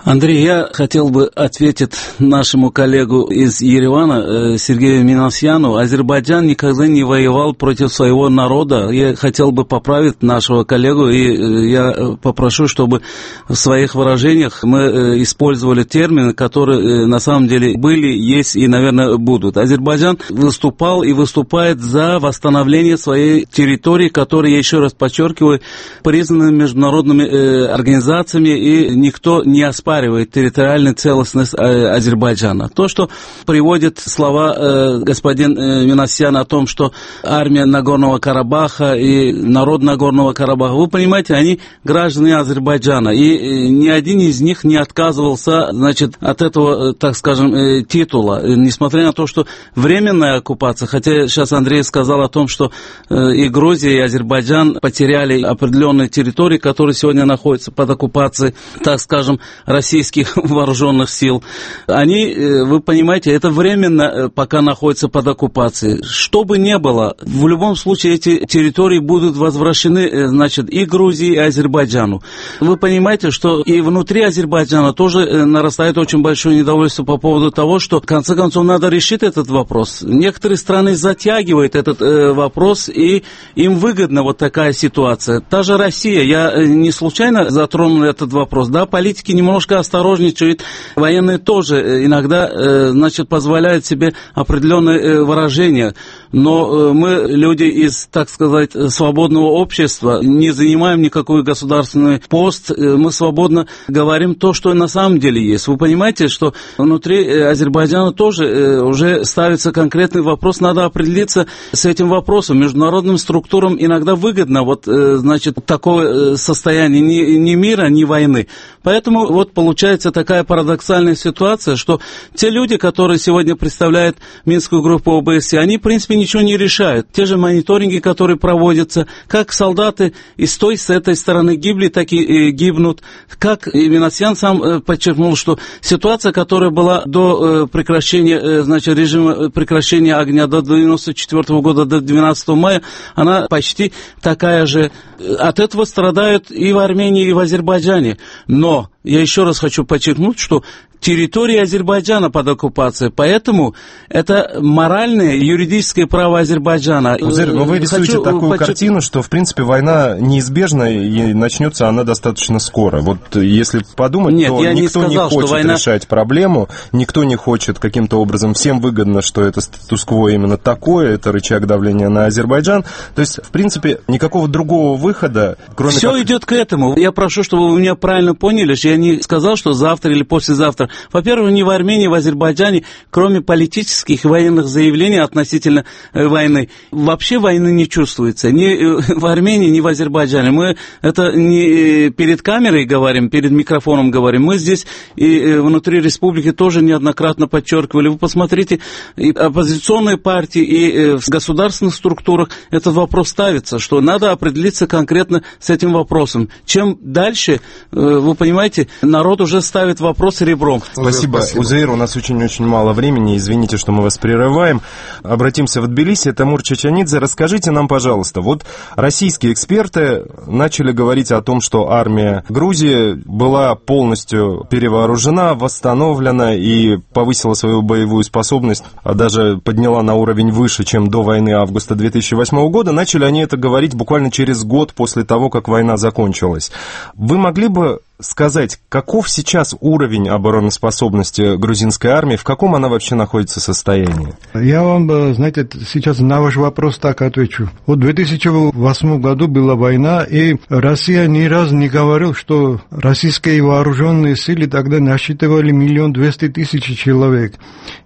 Андрей, я хотел бы ответить нашему коллегу из Еревана, Сергею Минасяну. Азербайджан никогда не воевал против своего народа. Я хотел бы поправить нашего коллегу, и я попрошу, чтобы в своих выражениях мы использовали термины, которые на самом деле были, есть и, наверное, будут. Азербайджан выступал и выступает за восстановление своей территории, которая, я еще раз подчеркиваю, признана международными организациями, и никто не оспаривает оспаривает территориальную целостность Азербайджана. То, что приводит слова господин Минасян о том, что армия Нагорного Карабаха и народ Нагорного Карабаха, вы понимаете, они граждане Азербайджана, и ни один из них не отказывался, значит, от этого, так скажем, титула, несмотря на то, что временная оккупация, хотя сейчас Андрей сказал о том, что и Грузия, и Азербайджан потеряли определенные территории, которые сегодня находятся под оккупацией, так скажем, российских вооруженных сил. Они, вы понимаете, это временно пока находятся под оккупацией. Что бы ни было, в любом случае эти территории будут возвращены, значит, и Грузии, и Азербайджану. Вы понимаете, что и внутри Азербайджана тоже нарастает очень большое недовольство по поводу того, что, в конце концов, надо решить этот вопрос. Некоторые страны затягивают этот вопрос, и им выгодна вот такая ситуация. Та же Россия, я не случайно затронул этот вопрос, да, политики немножко осторожничают, военные тоже иногда, значит, позволяют себе определенные выражения, но мы, люди из, так сказать, свободного общества, не занимаем никакой государственный пост, мы свободно говорим то, что на самом деле есть. Вы понимаете, что внутри Азербайджана тоже уже ставится конкретный вопрос, надо определиться с этим вопросом. Международным структурам иногда выгодно вот, значит, такое состояние ни мира, ни войны. Поэтому вот получается такая парадоксальная ситуация, что те люди, которые сегодня представляют Минскую группу ОБСЕ, они, в принципе, ничего не решают. Те же мониторинги, которые проводятся, как солдаты и с той, с этой стороны гибли, так и гибнут. Как Минасян сам подчеркнул, что ситуация, которая была до прекращения, значит, режима прекращения огня до 1994 года, до 12 мая, она почти такая же. От этого страдают и в Армении, и в Азербайджане. Но я еще раз хочу подчеркнуть, что территория Азербайджана под оккупацией, поэтому это моральное и юридическое право Азербайджана.
Узер, но вы рисуете такую картину, что, в принципе, война неизбежна и начнется она достаточно скоро. Вот если подумать,
нет,
то никто не хочет
война...
решать проблему, никто не хочет каким-то образом, всем выгодно, что это статус-кво именно такое, это рычаг давления на Азербайджан. То есть, в принципе, никакого другого выхода, кроме
все как... идет к этому. Я прошу, чтобы вы меня правильно поняли, что я не сказал, что завтра или послезавтра. Во-первых, ни в Армении, ни в Азербайджане, кроме политических и военных заявлений относительно войны, вообще войны не чувствуется. Ни в Армении, ни в Азербайджане. Мы это не перед камерой говорим, перед микрофоном говорим. Мы здесь и внутри республики тоже неоднократно подчеркивали. Вы посмотрите, и оппозиционные партии, и в государственных структурах этот вопрос ставится, что надо определиться конкретно с этим вопросом. Чем дальше, вы понимаете, народ уже ставит вопрос ребром.
Спасибо. Узеир, у нас очень-очень мало времени, извините, что мы вас прерываем. Обратимся в Тбилиси. Тамур Чачанидзе, расскажите нам, пожалуйста, вот российские эксперты начали говорить о том, что армия Грузии была полностью перевооружена, восстановлена и повысила свою боевую способность, а даже подняла на уровень выше, чем до войны августа 2008 года. Начали они это говорить буквально через год после того, как война закончилась. Вы могли бы сказать, каков сейчас уровень обороноспособности грузинской армии, в каком она вообще находится состоянии?
Я вам, знаете, сейчас на ваш вопрос так отвечу. Вот в 2008 году была война, и Россия ни разу не говорила, что российские вооруженные силы тогда насчитывали 1 200 000 человек.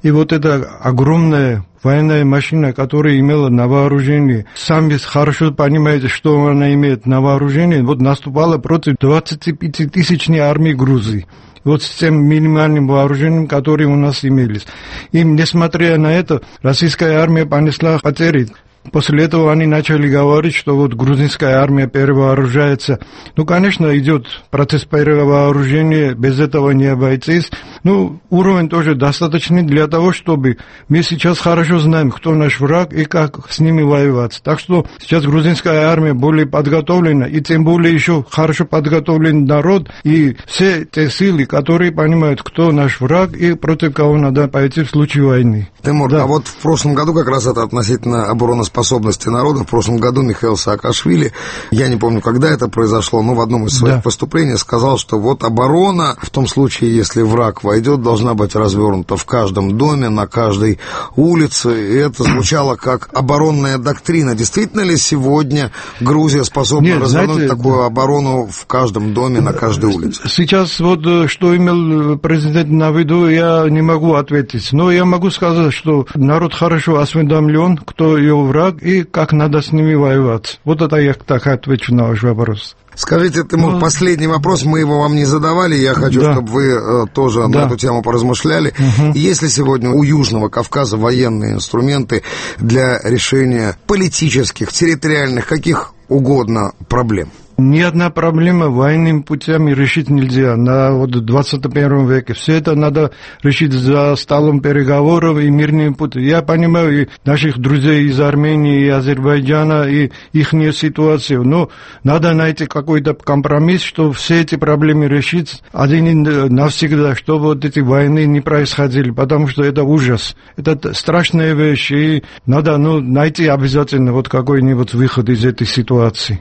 И вот это огромная военная машина, которая имела на вооружении, сами хорошо понимаете, что она имеет на вооружении, вот наступала против 25-тысячной армии Грузии. Вот с тем минимальным вооружением, которое у нас имелись. И несмотря на это, российская армия понесла потери. После этого они начали говорить, что вот грузинская армия перевооружается. Ну, конечно, идет процесс перевооружения, без этого не обойтись. Ну, уровень тоже достаточный для того, чтобы мы сейчас хорошо знаем, кто наш враг и как с ними воевать. Так что сейчас грузинская армия более подготовлена, и тем более еще хорошо подготовлен народ, и все те силы, которые понимают, кто наш враг и против кого надо пойти в случае войны.
Тимур, да. А вот в прошлом году как раз это относительно обороноспособности способности народа. В прошлом году Михаил Саакашвили, я не помню, когда это произошло, но в одном из своих выступлений сказал, что вот оборона, в том случае, если враг войдет, должна быть развернута в каждом доме, на каждой улице. И это звучало как оборонная доктрина. Действительно ли сегодня Грузия способна развернуть такую оборону в каждом доме, на каждой улице?
Сейчас вот что имел президент на виду, я не могу ответить. Но я могу сказать, что народ хорошо осведомлен, кто его враг и как надо с ними воевать. Вот это я так отвечу на ваш вопрос.
Скажите, Тимур, последний вопрос, мы его вам не задавали, я хочу, чтобы вы тоже на эту тему поразмышляли. Есть ли сегодня у Южного Кавказа военные инструменты для решения политических, территориальных, каких угодно проблем?
Ни одна проблема военными путями решить нельзя на 21 веке. Все это надо решить за столом переговоров и мирными путями. Я понимаю и наших друзей из Армении и Азербайджана, и их ситуацию, но надо найти какой-то компромисс, чтобы все эти проблемы решить один и навсегда, чтобы вот эти войны не происходили, потому что это ужас. Это страшная вещь, и надо найти обязательно вот какой-нибудь выход из этой ситуации.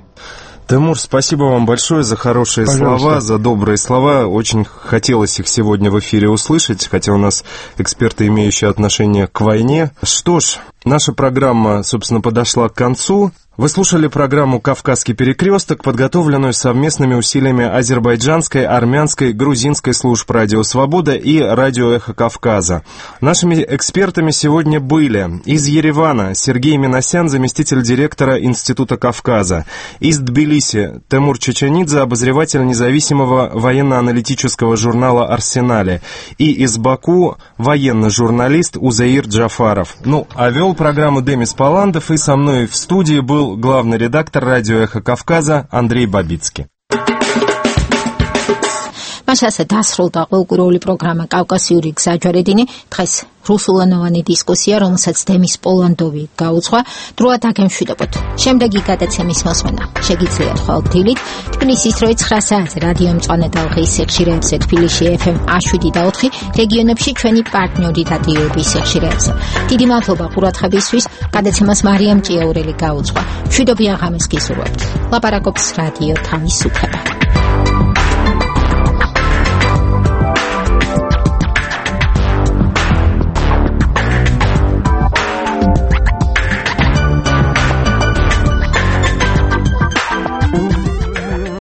Тимур, спасибо вам большое за хорошие слова, за добрые слова. Очень хотелось их сегодня в эфире услышать, хотя у нас эксперты, имеющие отношение к войне. Что ж, наша программа, собственно, подошла к концу. Вы слушали программу «Кавказский перекресток», подготовленную совместными усилиями азербайджанской, армянской, грузинской служб «Радио Свобода» и «Радио Эхо Кавказа». Нашими экспертами сегодня были из Еревана Сергей Минасян, заместитель директора Института Кавказа, из Тбилиси Тимур Чеченидзе, обозреватель независимого военно-аналитического журнала «Арсенале», и из Баку военный журналист Узаир Джафаров. А вел программу Демис Паландов, и со мной в студии был главный редактор радио «Эхо Кавказа» Андрей Бабицкий.
მას ასე დასრულდა ყოველკვირეული პროგრამა კავკასიური გზაჯვარედინი. დღეს რუსულენოვანი დისკუსია, რომელსაც დემის პოლანდოვი გაუძღვა. დროა დაგემშვიდობოთ. შემდეგი გადაცემის მოსმენა შეგიძლიათ ხოლმე დილით თბილისის დროით 9 საათზე რადიო მწვანე ტალღის სიხშირეებზე, თბილისში FM 107.4, რეგიონებში ჩვენი პარტნიორი რადიოების სიხშირეებზე. დიდი მადლობა ყურადღებისთვის. გადაცემას მარიამ ჭიაურელი გაუძღვა. მშვიდობიან ღამეს გისურვებთ. ლაპარაკობს რადიო თავისუფლება.